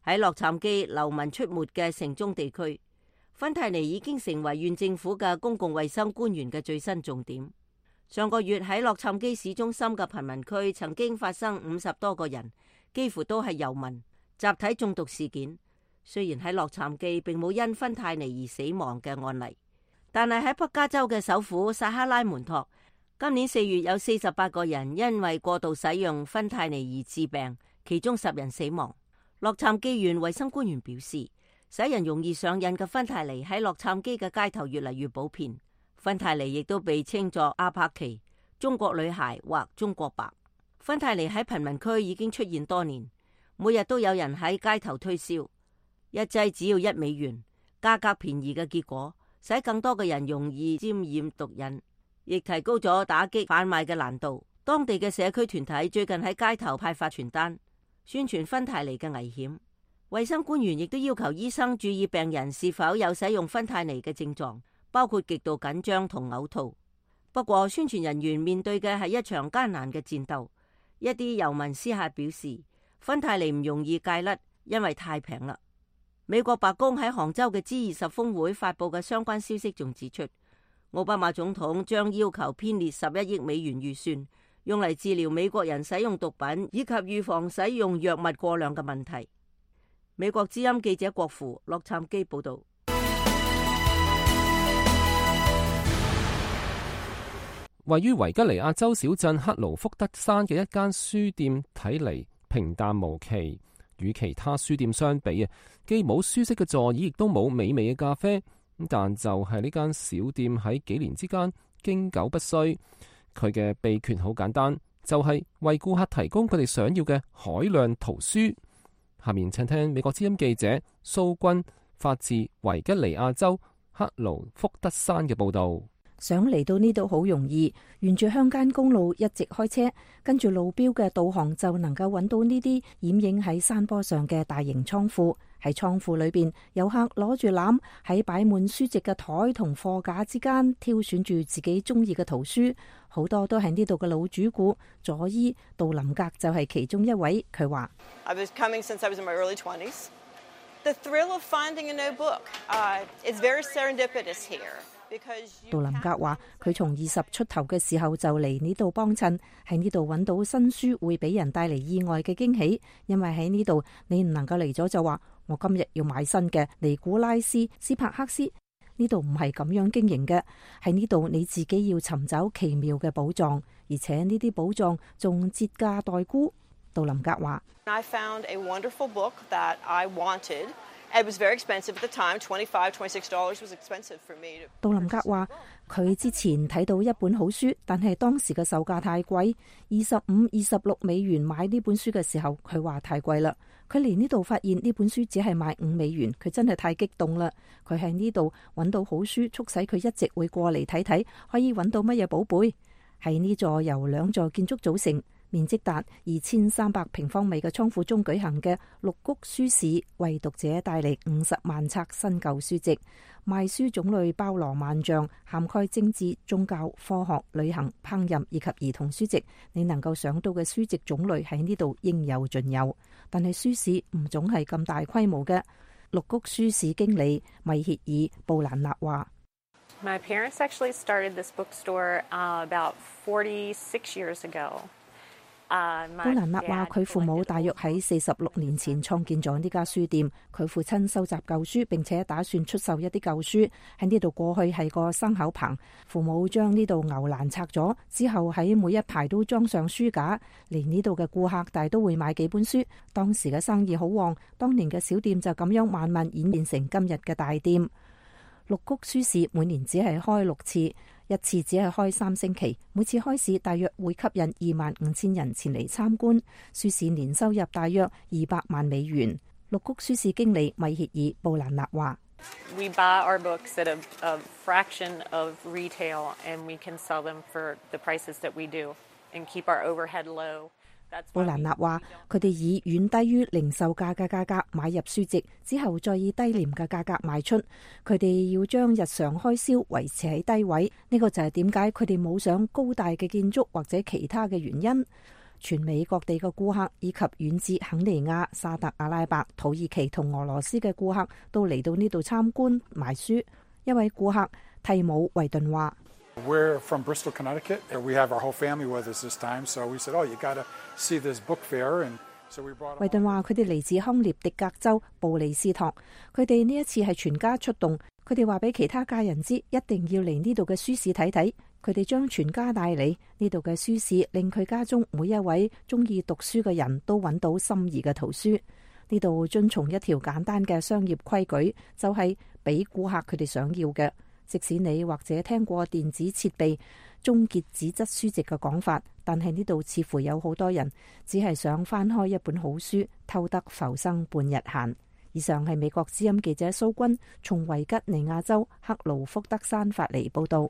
喺洛杉磯流民出沒嘅城中地區，芬太尼已經成為縣政府嘅公共衛生官員嘅最新重點。上個月喺洛杉磯市中心嘅貧民區曾經發生50多個人，幾乎都係遊民集體中毒事件。雖然喺洛杉磯並冇因芬太尼而死亡嘅案例，但係喺北加州嘅首府薩克拉門托，今年4月有48個人因為過度使用芬太尼而致病，其中10人死亡。洛杉磯縣衛生官員表示，使人容易上癮嘅芬太尼喺洛杉磯嘅街頭越嚟越普遍。芬太尼亦都被稱作阿帕奇、中國女孩或中國白。芬太尼喺貧民區已經出現多年，每日都有人喺街頭推銷，一劑只要$1，價格便宜嘅結果，使更多嘅人容易沾染毒癮，亦提高咗打擊販賣嘅難度。當地嘅社區團體最近喺街頭派發傳單，宣傳芬太尼嘅危險。衛生官員亦都要求醫生注意病人是否有使用芬太尼嘅症狀，包括極度緊張同嘔吐。不過，宣傳人員面對嘅係一場艱難嘅戰鬥。一啲遊民私下表示，芬太尼唔容易戒甩，因為太平啦。美國白宮喺杭州嘅 G20 峰會發佈嘅相關消息仲指出，奧巴馬總統將要求編列11億美元預算，用嚟治療美國人使用毒品以及預防使用藥物過量嘅問題。美國之音記者郭富洛杉磯報道。位於維吉尼亞州小鎮克勞福德山嘅一間書店睇嚟平淡無奇，與其他書店相比啊，既冇舒適嘅座椅，亦都冇美味嘅咖啡。但就係呢間小店喺幾年之間經久不衰。佢嘅秘訣好簡單，就係為顧客提供佢哋想要嘅海量圖書。下面請聽美國之音記者蘇君發自維吉尼亞州克勞福德山嘅報道。想嚟到呢度好容易，沿住鄉間公路一直開車，跟住路標嘅導航就能夠揾到呢啲掩映喺山坡上嘅大型倉庫。喺倉庫裏邊，遊客攞住籃喺擺滿書籍嘅台同貨架之間挑選住自己中意嘅圖書，好多都係呢度嘅老主顧。佐伊杜林格就係其中一位，佢話： The thrill of finding a new book. It's very serendipitous here. 杜林格話：佢從20出頭嘅時候就嚟呢度幫襯，喺呢度揾到新書會俾人帶嚟意外嘅驚喜，因為喺呢度你唔能夠嚟咗就話我今日要買新嘅尼古拉斯斯帕克斯，呢度唔係咁樣經營嘅，喺呢度你自己要尋找奇妙嘅寶藏，而且呢啲寶藏仲折價待沽。杜林格話：I found a wonderful book that I wanted. It was very expensive at the time. $25, $26 was expensive for me. 杜林格話：佢之前睇到一本好書，但係當時嘅售價太貴，25、26美元買呢本書嘅時候，佢話太貴啦。佢嚟呢度發現呢本書只係賣5美元，佢真係太激動啦。佢喺呢度揾到好書，促使佢一直會過嚟睇睇，可以揾到乜嘢寶貝。喺呢座由2座建築組成，面積達2300平方米嘅倉庫中舉行嘅綠谷書市，為讀者帶嚟50萬冊新舊書籍。賣書種類包羅萬象，涵蓋政治、宗教、科學、旅行、烹飪以及兒童書籍。你能夠想到嘅書籍種類喺呢度應有盡有。但係書市唔總係咁大規模嘅。綠谷書市經理米歇爾布蘭納話：My parents actually started this bookstore about 46 years ago. 布蘭納話：佢父母大約喺46年前創建咗呢家書店。佢父親收集舊書，並且打算出售一啲舊書。喺呢度過去係個牲口棚，父母將呢度牛欄拆咗之後，喺每一排都裝上書架。嚟呢度嘅顧客大都會買幾本書。當時嘅生意好旺，當年嘅小店就咁樣慢慢演變成今日嘅大店。綠谷書市每年只係開6次，一次只係開3星期，每次開市大約會吸引25000人前嚟參觀。書市年收入大約200萬美元。綠谷書市經理米歇爾布蘭納話：We buy our books at a fraction of retail, and we can sell them for the prices that we do, and keep our overhead low. 布蘭納話：佢哋以遠低於零售價嘅價格買入書籍，之後再以低廉嘅價格賣出。佢哋要將日常開銷維持喺低位，呢個就係點解佢哋冇上高大嘅建築或者其他嘅原因。全美各地嘅顧客以及遠至肯尼亞、沙特阿拉伯、土耳其同俄羅斯嘅顧客都嚟到呢度參觀買書。一位顧客蒂姆維頓話：We're from Bristol, Connecticut. We have our whole family with us this time, so we said, "Oh, you gotta see this book fair." And so we brought. 維頓話：佢哋嚟自康涅狄格州布里斯托，佢哋呢一次係全家出動。佢哋話俾其他家人知，一定要嚟呢度嘅書市睇睇。佢哋將全家帶嚟呢度嘅書市，令佢家中每一位中意讀書嘅人都揾到心儀嘅圖書。呢度遵從一條簡單嘅商業規矩，就係俾顧客佢哋想要嘅。即使你或者聽過電子設備終結紙質書籍嘅講法，但係呢度似乎有好多人只係想翻開一本好書，偷得浮生半日閒。以上係美國之音記者蘇君從維吉尼亞州克勞福德山發嚟報道。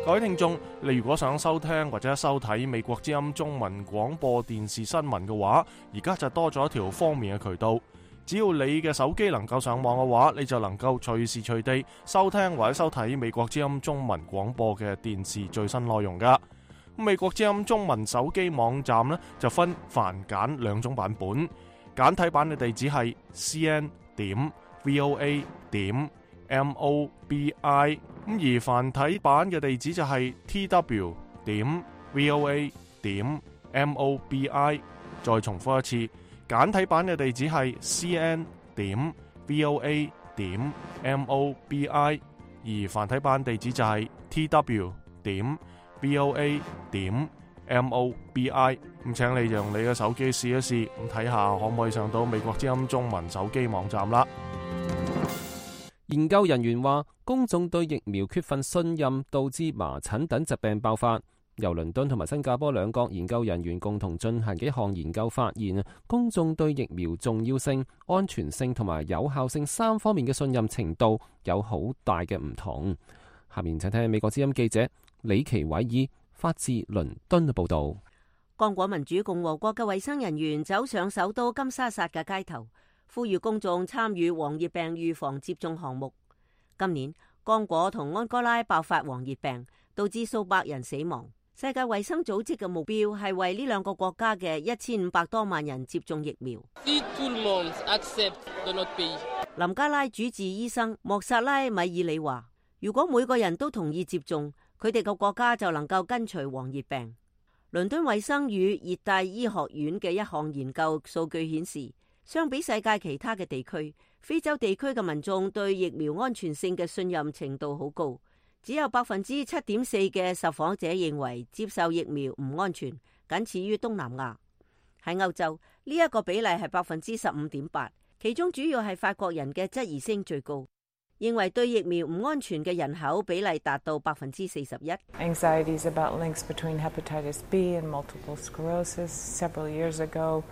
各位聽眾，你如果想收聽或者收睇美國之音中文廣播電視新聞嘅話，而家就多咗一條方便嘅渠道。只要你嘅手機能夠上網嘅話，你就能夠隨時隨地收聽或者收睇美國之音中文廣播嘅電視最新內容噶。美國之音中文手機網站呢，就分繁簡2種版本，簡體版嘅地址係 cn.voa.mobi， 而繁體版嘅地址就係 tw.voa.mobi。 再重複一次，簡體版嘅地址係 cn.voa.mobi， 而繁體版地址就係 tw.voa.mobi。 咁請你用你嘅手機試一試，咁睇下可唔可以上到美國之音中文手機網站啦。研究人員話，公眾對疫苗缺乏信任，導致麻疹等疾病爆發。由倫敦同埋新加坡兩國研究人員共同進行嘅一項研究發現，公眾對疫苗重要性、安全性同埋有效性3方面嘅信任程度有好大嘅唔同。下面請聽美國之音記者李奇偉爾發自倫敦嘅報道。剛果民主共和國嘅衛生人員走上首都金沙薩嘅街頭，呼籲公眾參與黃熱病預防接種項目。今年剛果同安哥拉爆發黃熱病，導致數百人死亡。世界衛生組織嘅目標係為呢兩個國家嘅1500多萬人接種疫苗。林加拉主治醫生莫薩拉米爾里話，如果每個人都同意接種，佢哋個國家就能夠根除黃熱病。倫敦衛生與熱帶醫學院嘅一項研究數據顯示，相比世界其他嘅地區，非洲地區嘅民眾對疫苗安全性嘅信任程度好高，只有 7.4% 嘅受訪者認為接受疫苗唔安全，僅次於東南亞。喺歐洲，呢一個比例係 15.8%， 其中主要係法國人嘅質疑聲最高，認為對疫苗唔安全嘅人口比例達到 41%。 Anxieties about links between hepatitis B and multiple sclerosis several years ago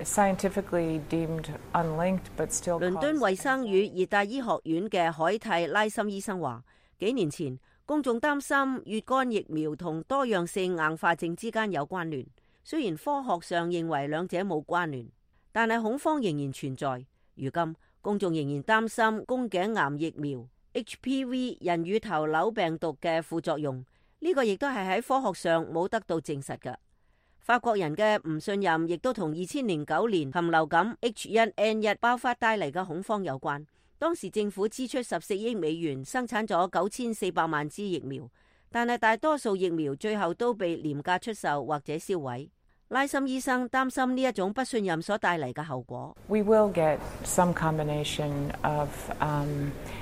scientifically deemed unlinked, but still. 倫敦衛生與熱帶醫學院嘅海蒂拉森醫生話，幾年前公眾擔心乙肝疫苗同多樣性硬化症之間有關聯，雖然科學上認為兩者冇關聯，但係恐慌仍然存在。如今公眾仍然擔心宮頸癌疫苗 HPV 人乳頭瘤病毒嘅副作用，呢個亦都係喺科學上冇得到證實嘅。法國人嘅唔信任亦都同2009年禽流感 H1N1 爆發帶嚟嘅恐慌有關。當時政府支出14億美元生產咗9400萬支疫苗，但係大多數疫苗最後都被廉價出售或者銷毀。拉森醫生擔心呢一種不信任所帶嚟嘅後果。We will get some combination of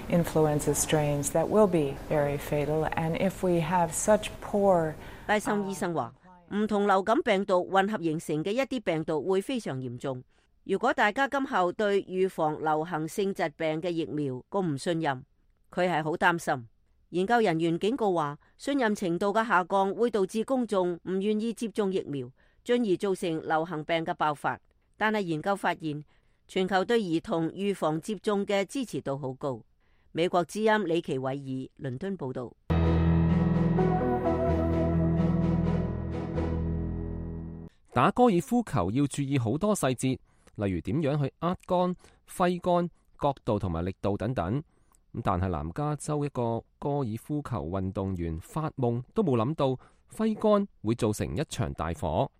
influenza strains that will be very fatal, and if we have such poor， 拉森醫生話，唔同流感病毒混合形成嘅一啲病毒會非常嚴重。如果大家今後對預防流行性疾病嘅疫苗咁唔信任，佢係好擔心。研究人員警告話，信任程度嘅下降會導致公眾唔願意接種疫苗，進而造成流行病嘅爆發。但係研究發現，全球對兒童預防接種嘅支持度好高。美國之音李奇偉爾倫敦報道。打高爾夫球要注意好多細節，例如點樣去握桿、揮桿、角度同埋力度等等。但係南加州一個高爾夫球運動員發夢都冇諗到揮桿會造成一場大火。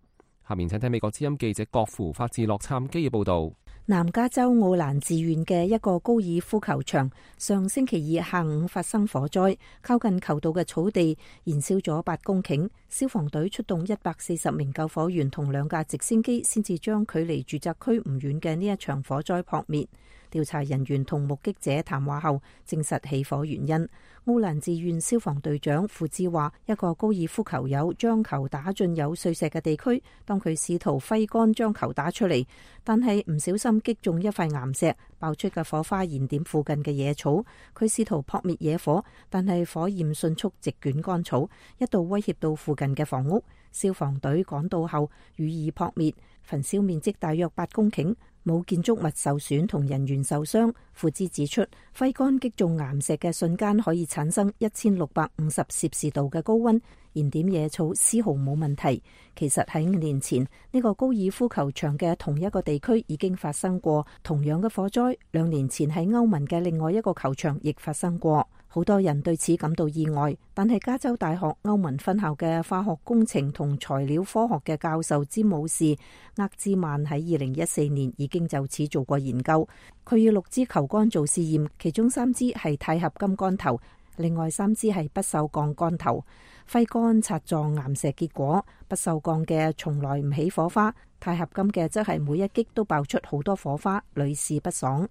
下面請睇美國之音記者郭芙發自洛杉磯嘅報道。南加州奧蘭治縣嘅一個高爾夫球場上星期二下午發生火災，靠近球道嘅草地燃燒咗8公頃，消防隊出動140名救火員同2架直升機，先至將距離住宅區唔遠嘅呢一場火災撲滅。調查人員同目擊者談話後證實起火原因。奧蘭治縣消防隊長傅志話，一個高爾夫球友將球打進有碎石嘅地區，當佢試圖揮桿將球打出嚟，但係唔小心擊中一塊岩石，爆出嘅火花燃點附近嘅野草。佢試圖撲滅野火，但係火焰迅速席捲乾草，一度威脅到附近嘅房屋。消防隊趕到後予以撲滅，焚燒面積大約8公頃。冇建築物受損同人員受傷。傅茲指出，揮桿擊中岩石嘅瞬間可以產生1650攝氏度嘅高溫，燃點野草絲毫冇問題。其實喺5年前，呢個高爾夫球場嘅同一個地區已經發生過同樣嘅火災。2年前喺歐盟嘅另外一個球場亦發生過。好多人對此感到意外，但係加州大學歐文分校嘅化學工程同材料科學嘅教授詹姆士厄茲曼喺2014年已經就此做過研究。佢要6支球桿做試驗，其中3支係鈦合金桿頭，另外3支係不鏽鋼桿頭。揮桿擦撞岩石，結果不鏽鋼嘅從來唔起火花，鈦合金嘅則係每一擊都爆出好多火花，屢試不爽。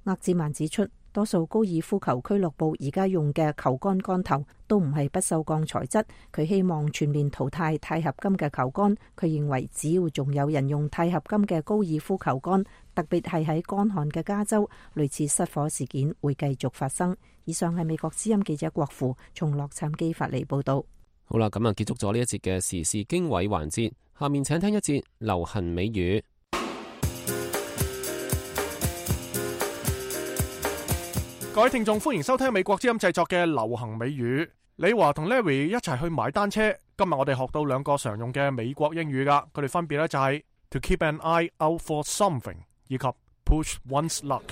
厄茲曼指出，多數高爾夫球俱樂部而家用嘅球桿桿頭都唔係不鏽鋼材質，佢希望全面淘汰鈦合金嘅球桿。佢認為只要仲有人用鈦合金嘅高爾夫球桿，特別係喺乾旱嘅加州，類似失火事件會繼續發生。以上係美國之音記者郭芙從洛杉磯發嚟報道。好啦，咁啊結束咗呢一節嘅時事經緯環節，下面請聽一節流行美語。各位聽眾，歡迎收聽美國之音製作嘅流行美語。李華同 Larry 一齊去買單車。今日我哋學到2個常用嘅美國英語噶，佢哋分別咧就係 to keep an eye out for something 以及 push one's luck。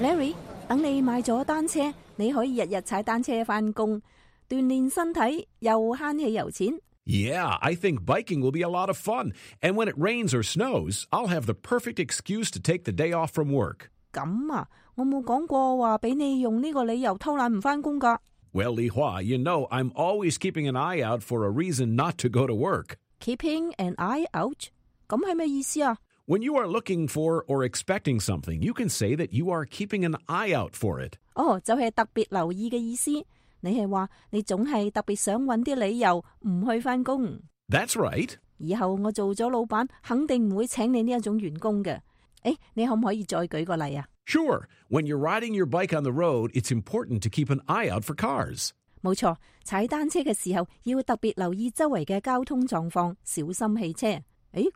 Larry， 等你買咗單車，你可以日日踩單車返工。鍛煉身體又慳氣油錢。Yeah, I think biking will be a lot of fun. And when it rains or snows, I'll have the perfect excuse to take the day off from work. 咁啊，我冇講過話俾你用呢個理由偷懶唔返工㗎。Well, Li Hua, you know I'm always keeping an eye out for a reason not to go to work. Keeping an eye out? 咁係咩意思啊？When you are looking for or expecting something, you can say that you are keeping an eye out for it. 就係特別留意嘅意思。你係話你總係特別想揾啲理由唔去返工。That's right. 以後我做咗老闆，肯定唔會請你呢一種員工嘅。你可唔可以再舉個例啊？ Sure. When you're riding your bike on the road, it's important to keep an eye out for cars. 冇錯，踩單車嘅時候要特別留意周圍嘅交通狀況，小心汽車。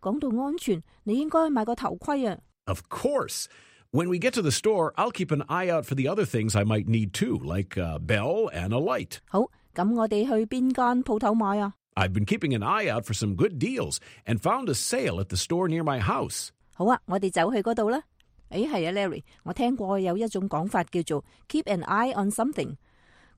講到安全，你應該買個頭盔啊。Of course. When we get to the store, I'll keep an eye out for the other things I might need too, like a bell and a light. 好，咁我哋去邊間鋪頭買啊？ I've been keeping an eye out for some good deals and found a sale at the store near my house. 好啊，我哋走去嗰度啦。係啊 ，Larry， 我聽過有一種講法叫做 keep an eye on something。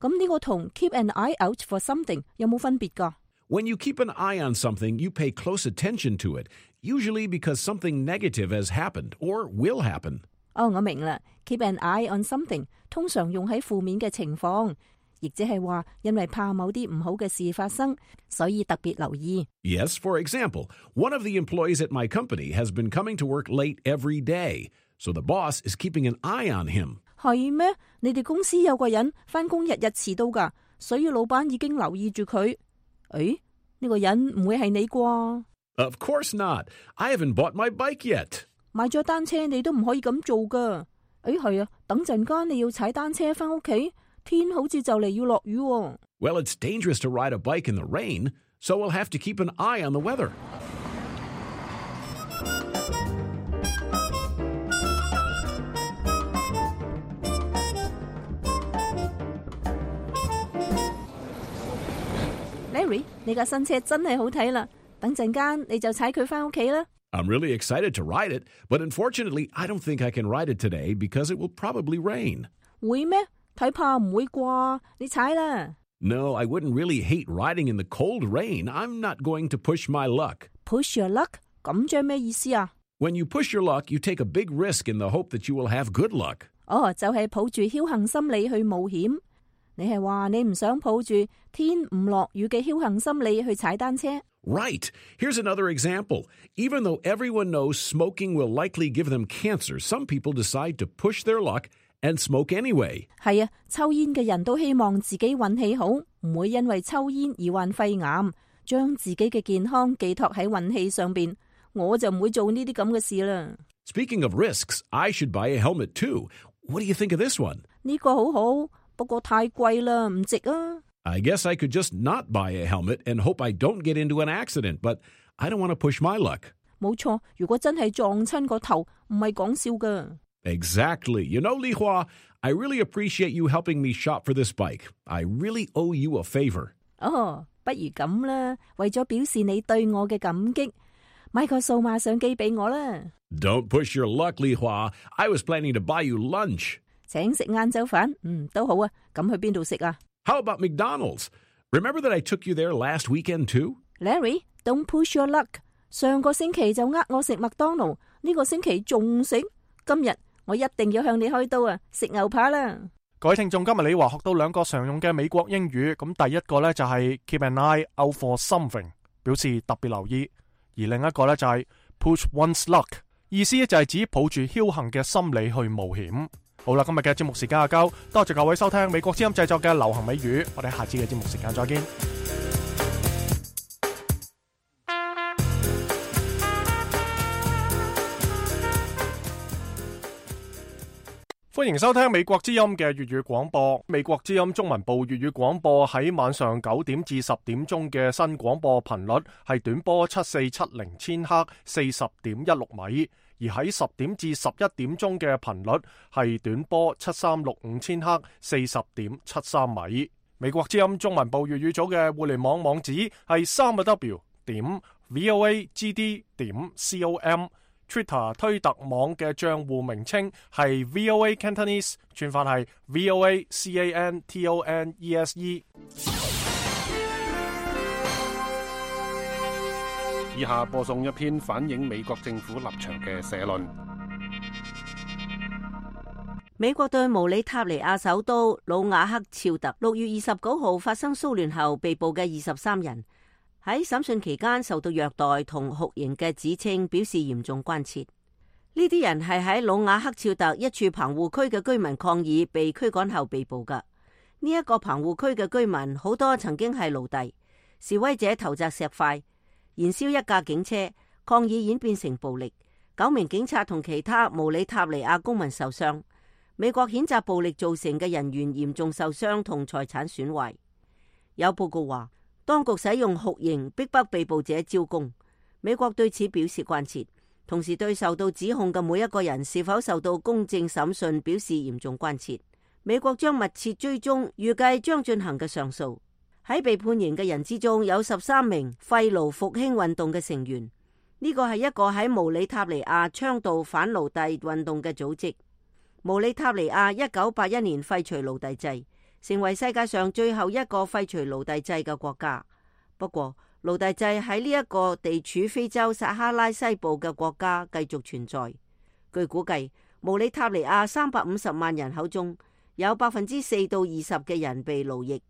咁呢個同 keep an eye out for something 有冇分別㗎？When you keep an eye on something, you pay close attention to it, usually because something negative has happened or will happen. 我明啦 ，keep an eye on something 通常用喺負面嘅情況，亦即係話因為怕某啲唔好嘅事發生，所以特別留意。Yes, for example, one of the employees at my company has been coming to work late every day, so the boss is keeping an eye on him. 係咩？你哋公司有個人返工日日遲到㗎，所以老闆已經留意住佢。呢個人唔會係你啩？ Of course not. I haven't bought my bike yet. 買咗單車你都唔可以咁做㗎。係啊，等陣間你要踩單車返屋企，天好似就嚟要落雨喎。Well, it's dangerous to ride a bike in the rain, so we'll have to keep an eye on the weather. Larry， 你架新車真係好睇啦，等陣間你就踩佢返屋企啦。I'm really excited to ride it, but unfortunately, I don't think I can ride it today because it will probably rain. 會咩？睇怕唔會啩？你踩啦。No, I wouldn't really hate riding in the cold rain. I'm not going to push my luck. Push your luck？ 咁即係咩意思啊？ When you push your luck, you take a big risk in the hope that you will have good luck. 就係抱住僥倖心理去冒險。你係話你唔想抱住天唔落雨嘅僥倖心理去踩單車？ Right. Here's another example. Even though everyone knows smoking will likely give them cancer, some people decide to push their luck and smoke anyway. 係啊，抽煙嘅人都希望自己運氣好，唔會因為抽煙而患肺癌，將自己嘅健康寄託喺運氣上邊。我就唔會做呢啲咁嘅事啦。Speaking of risks, I should buy a helmet too. What do you think of this one? 呢個好好，不過太貴啦，唔值啊。I guess I could just not buy a helmet and hope I don't get into an accident, but I don't want to push my luck. 冇錯，如果真係撞親個頭，唔係講笑㗎。Exactly. You know, Li Hua, I really appreciate you helping me shop for this bike. I really owe you a favor. 不如咁啦，為咗表示你對我嘅感激，買個數碼相機俾我啦。Don't push your luck, Li Hua. I was planning to buy you lunch. 請食晏晝飯，都好啊。咁去邊度食啊？ How about McDonald's? Remember that I took you there last weekend too? Larry, don't push your luck. 上個星期就呃我食麥當勞，呢個星期仲食。今日我一定要向你開刀啊！食牛扒啦！各位聽眾，今日李華學到兩個常用嘅美國英語，咁第一個呢就係 keep an eye out for something， 表示特別留意；而另一個呢就係 push one's luck， 意思就係指抱住僥倖嘅心理去冒險。好啦，今日嘅節目時間阿交，多謝各位收聽美國之音製作嘅流行美語，我哋下次嘅節目時間再見。歡迎收聽美國之音嘅粵語廣播。美國之音中文部粵語廣播喺晚上9點至10點鐘嘅新廣播頻率係短波7470千赫40.16米，而喺10點至11點鐘嘅頻率係短波7365千赫40.73米。美國之音中文部粵語組嘅互聯網網址係3w.voagd.com。Twitter 推特網嘅賬戶名稱係 VOA Cantonese， 串法係 VOA CANTONESE。以下播送一篇反映美國政府立場嘅社論。美國對毛里塔尼亞首都魯瓦克肖特6月29號發生騷亂後被捕嘅23人，喺審訊期間受到虐待同酷刑嘅指稱表示嚴重關切。呢啲人係喺魯瓦克肖特一處棚戶區嘅居民抗議被驅趕後被捕㗎。呢一個棚戶區嘅居民好多曾經係奴隸，示威者投擲石塊、燃燒一架警車，抗議演變成暴力，9名警察同其他毛里塔尼亞公民受傷。美國譴責暴力造成嘅人員嚴重受傷同財產損壞。有報告話，當局使用酷刑逼迫被捕者招供。美國對此表示關切，同時對受到指控嘅每一個人是否受到公正審訊表示嚴重關切。美國將密切追蹤預計將進行嘅上訴。喺被判刑嘅人之中有13名廢奴復興運動嘅成員。呢個係一個喺毛里塔尼亞倡導反奴隸運動嘅組織。毛里塔尼亞1981年廢除奴隸制，成為世界上最後一個廢除奴隸制嘅國家。不過，奴隸制喺呢一個地處非洲撒哈拉西部嘅國家繼續存在。據估計，毛里塔尼亞350萬人口中有4%到20%嘅人被奴役。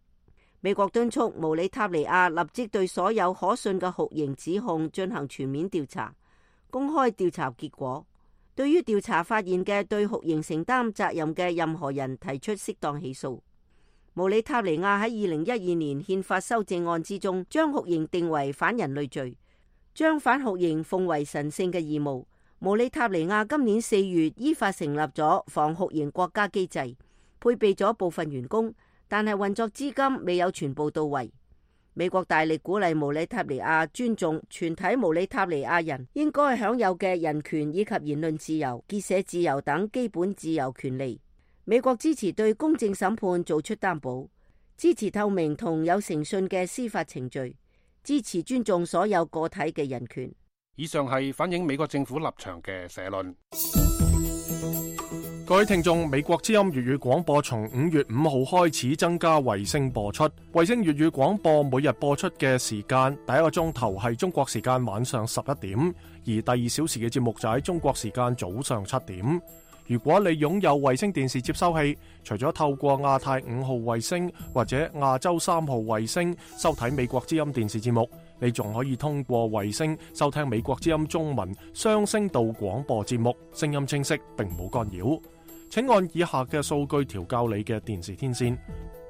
美國敦促毛里塔尼亞立即對所有可信嘅酷刑指控進行全面調查，公開調查結果。對於調查發現嘅對酷刑承擔責任嘅任何人提出適當起訴。毛里塔尼亞喺2012年憲法修正案之中，將酷刑定為反人類罪，將反酷刑奉為神聖嘅義務。毛里塔尼亞今年4月依法成立咗防酷刑國家機制，配備咗部分員工，但係運作資金未有全部到位。美國大力鼓勵毛里塔尼亞尊重全體毛里塔尼亞人應該享有嘅人權以及言論自由、結社自由等基本自由權利。美國支持對公正審判做出擔保，支持透明同有誠信嘅司法程序，支持尊重所有個體嘅人權。以上係反映美國政府立場嘅社論。各位聽眾，美國之音粵語廣播從5月5號開始增加衛星播出。衛星粵語廣播每日播出嘅時間，第一個鐘頭係中國時間晚上11點，而第2小時嘅節目就喺中國時間早上7點。如果你擁有衛星電視接收器，除咗透過亞太5號衛星或者亞洲3號衛星收睇美國之音電視節目，你仲可以通過衛星收聽美國之音中文雙聲道廣播節目，聲音清晰並冇干擾。請按以下嘅數據調校你嘅電視天線。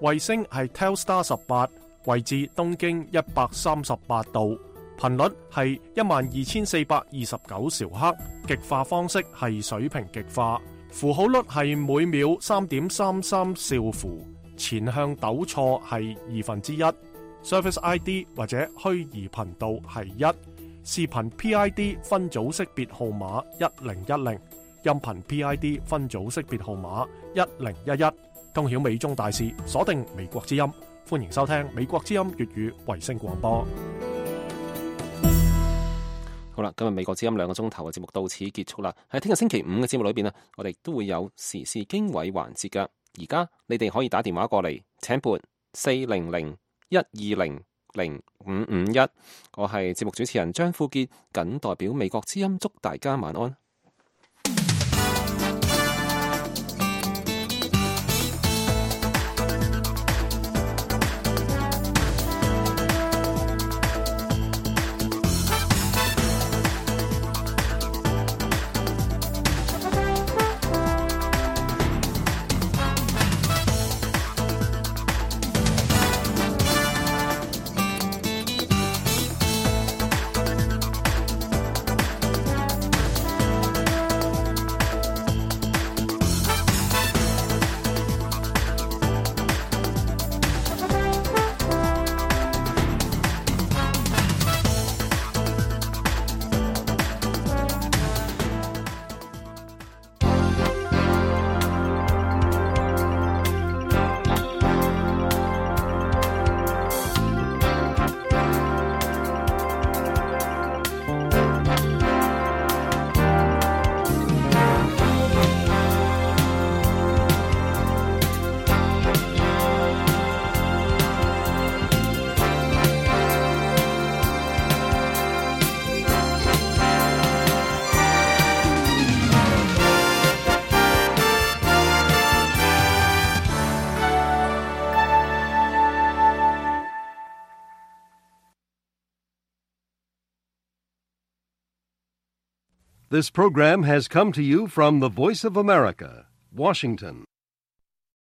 衛星係 Telstar 18，位置東經138度，頻率係12429兆赫，極化方式係水平極化，符號率係每秒3.33兆符，前向抖錯係1/2， Service ID 或者虛擬頻道係1，視頻 PID 分組識別號碼1010，音頻 PID 分組識別號碼1011，通曉美中大事，鎖定美國之音，歡迎收聽美國之音粵語衛星廣播。好啦，今日美國之音2個鐘頭嘅節目到此結束啦。喺聽日星期5嘅節目裏邊，我哋都會有時事經緯環節噶。而家你哋可以打電話過嚟，請撥400-120-0551。我係節目主持人張富傑，謹代表美國之音祝大家晚安。This program has come to you from the Voice of America, Washington.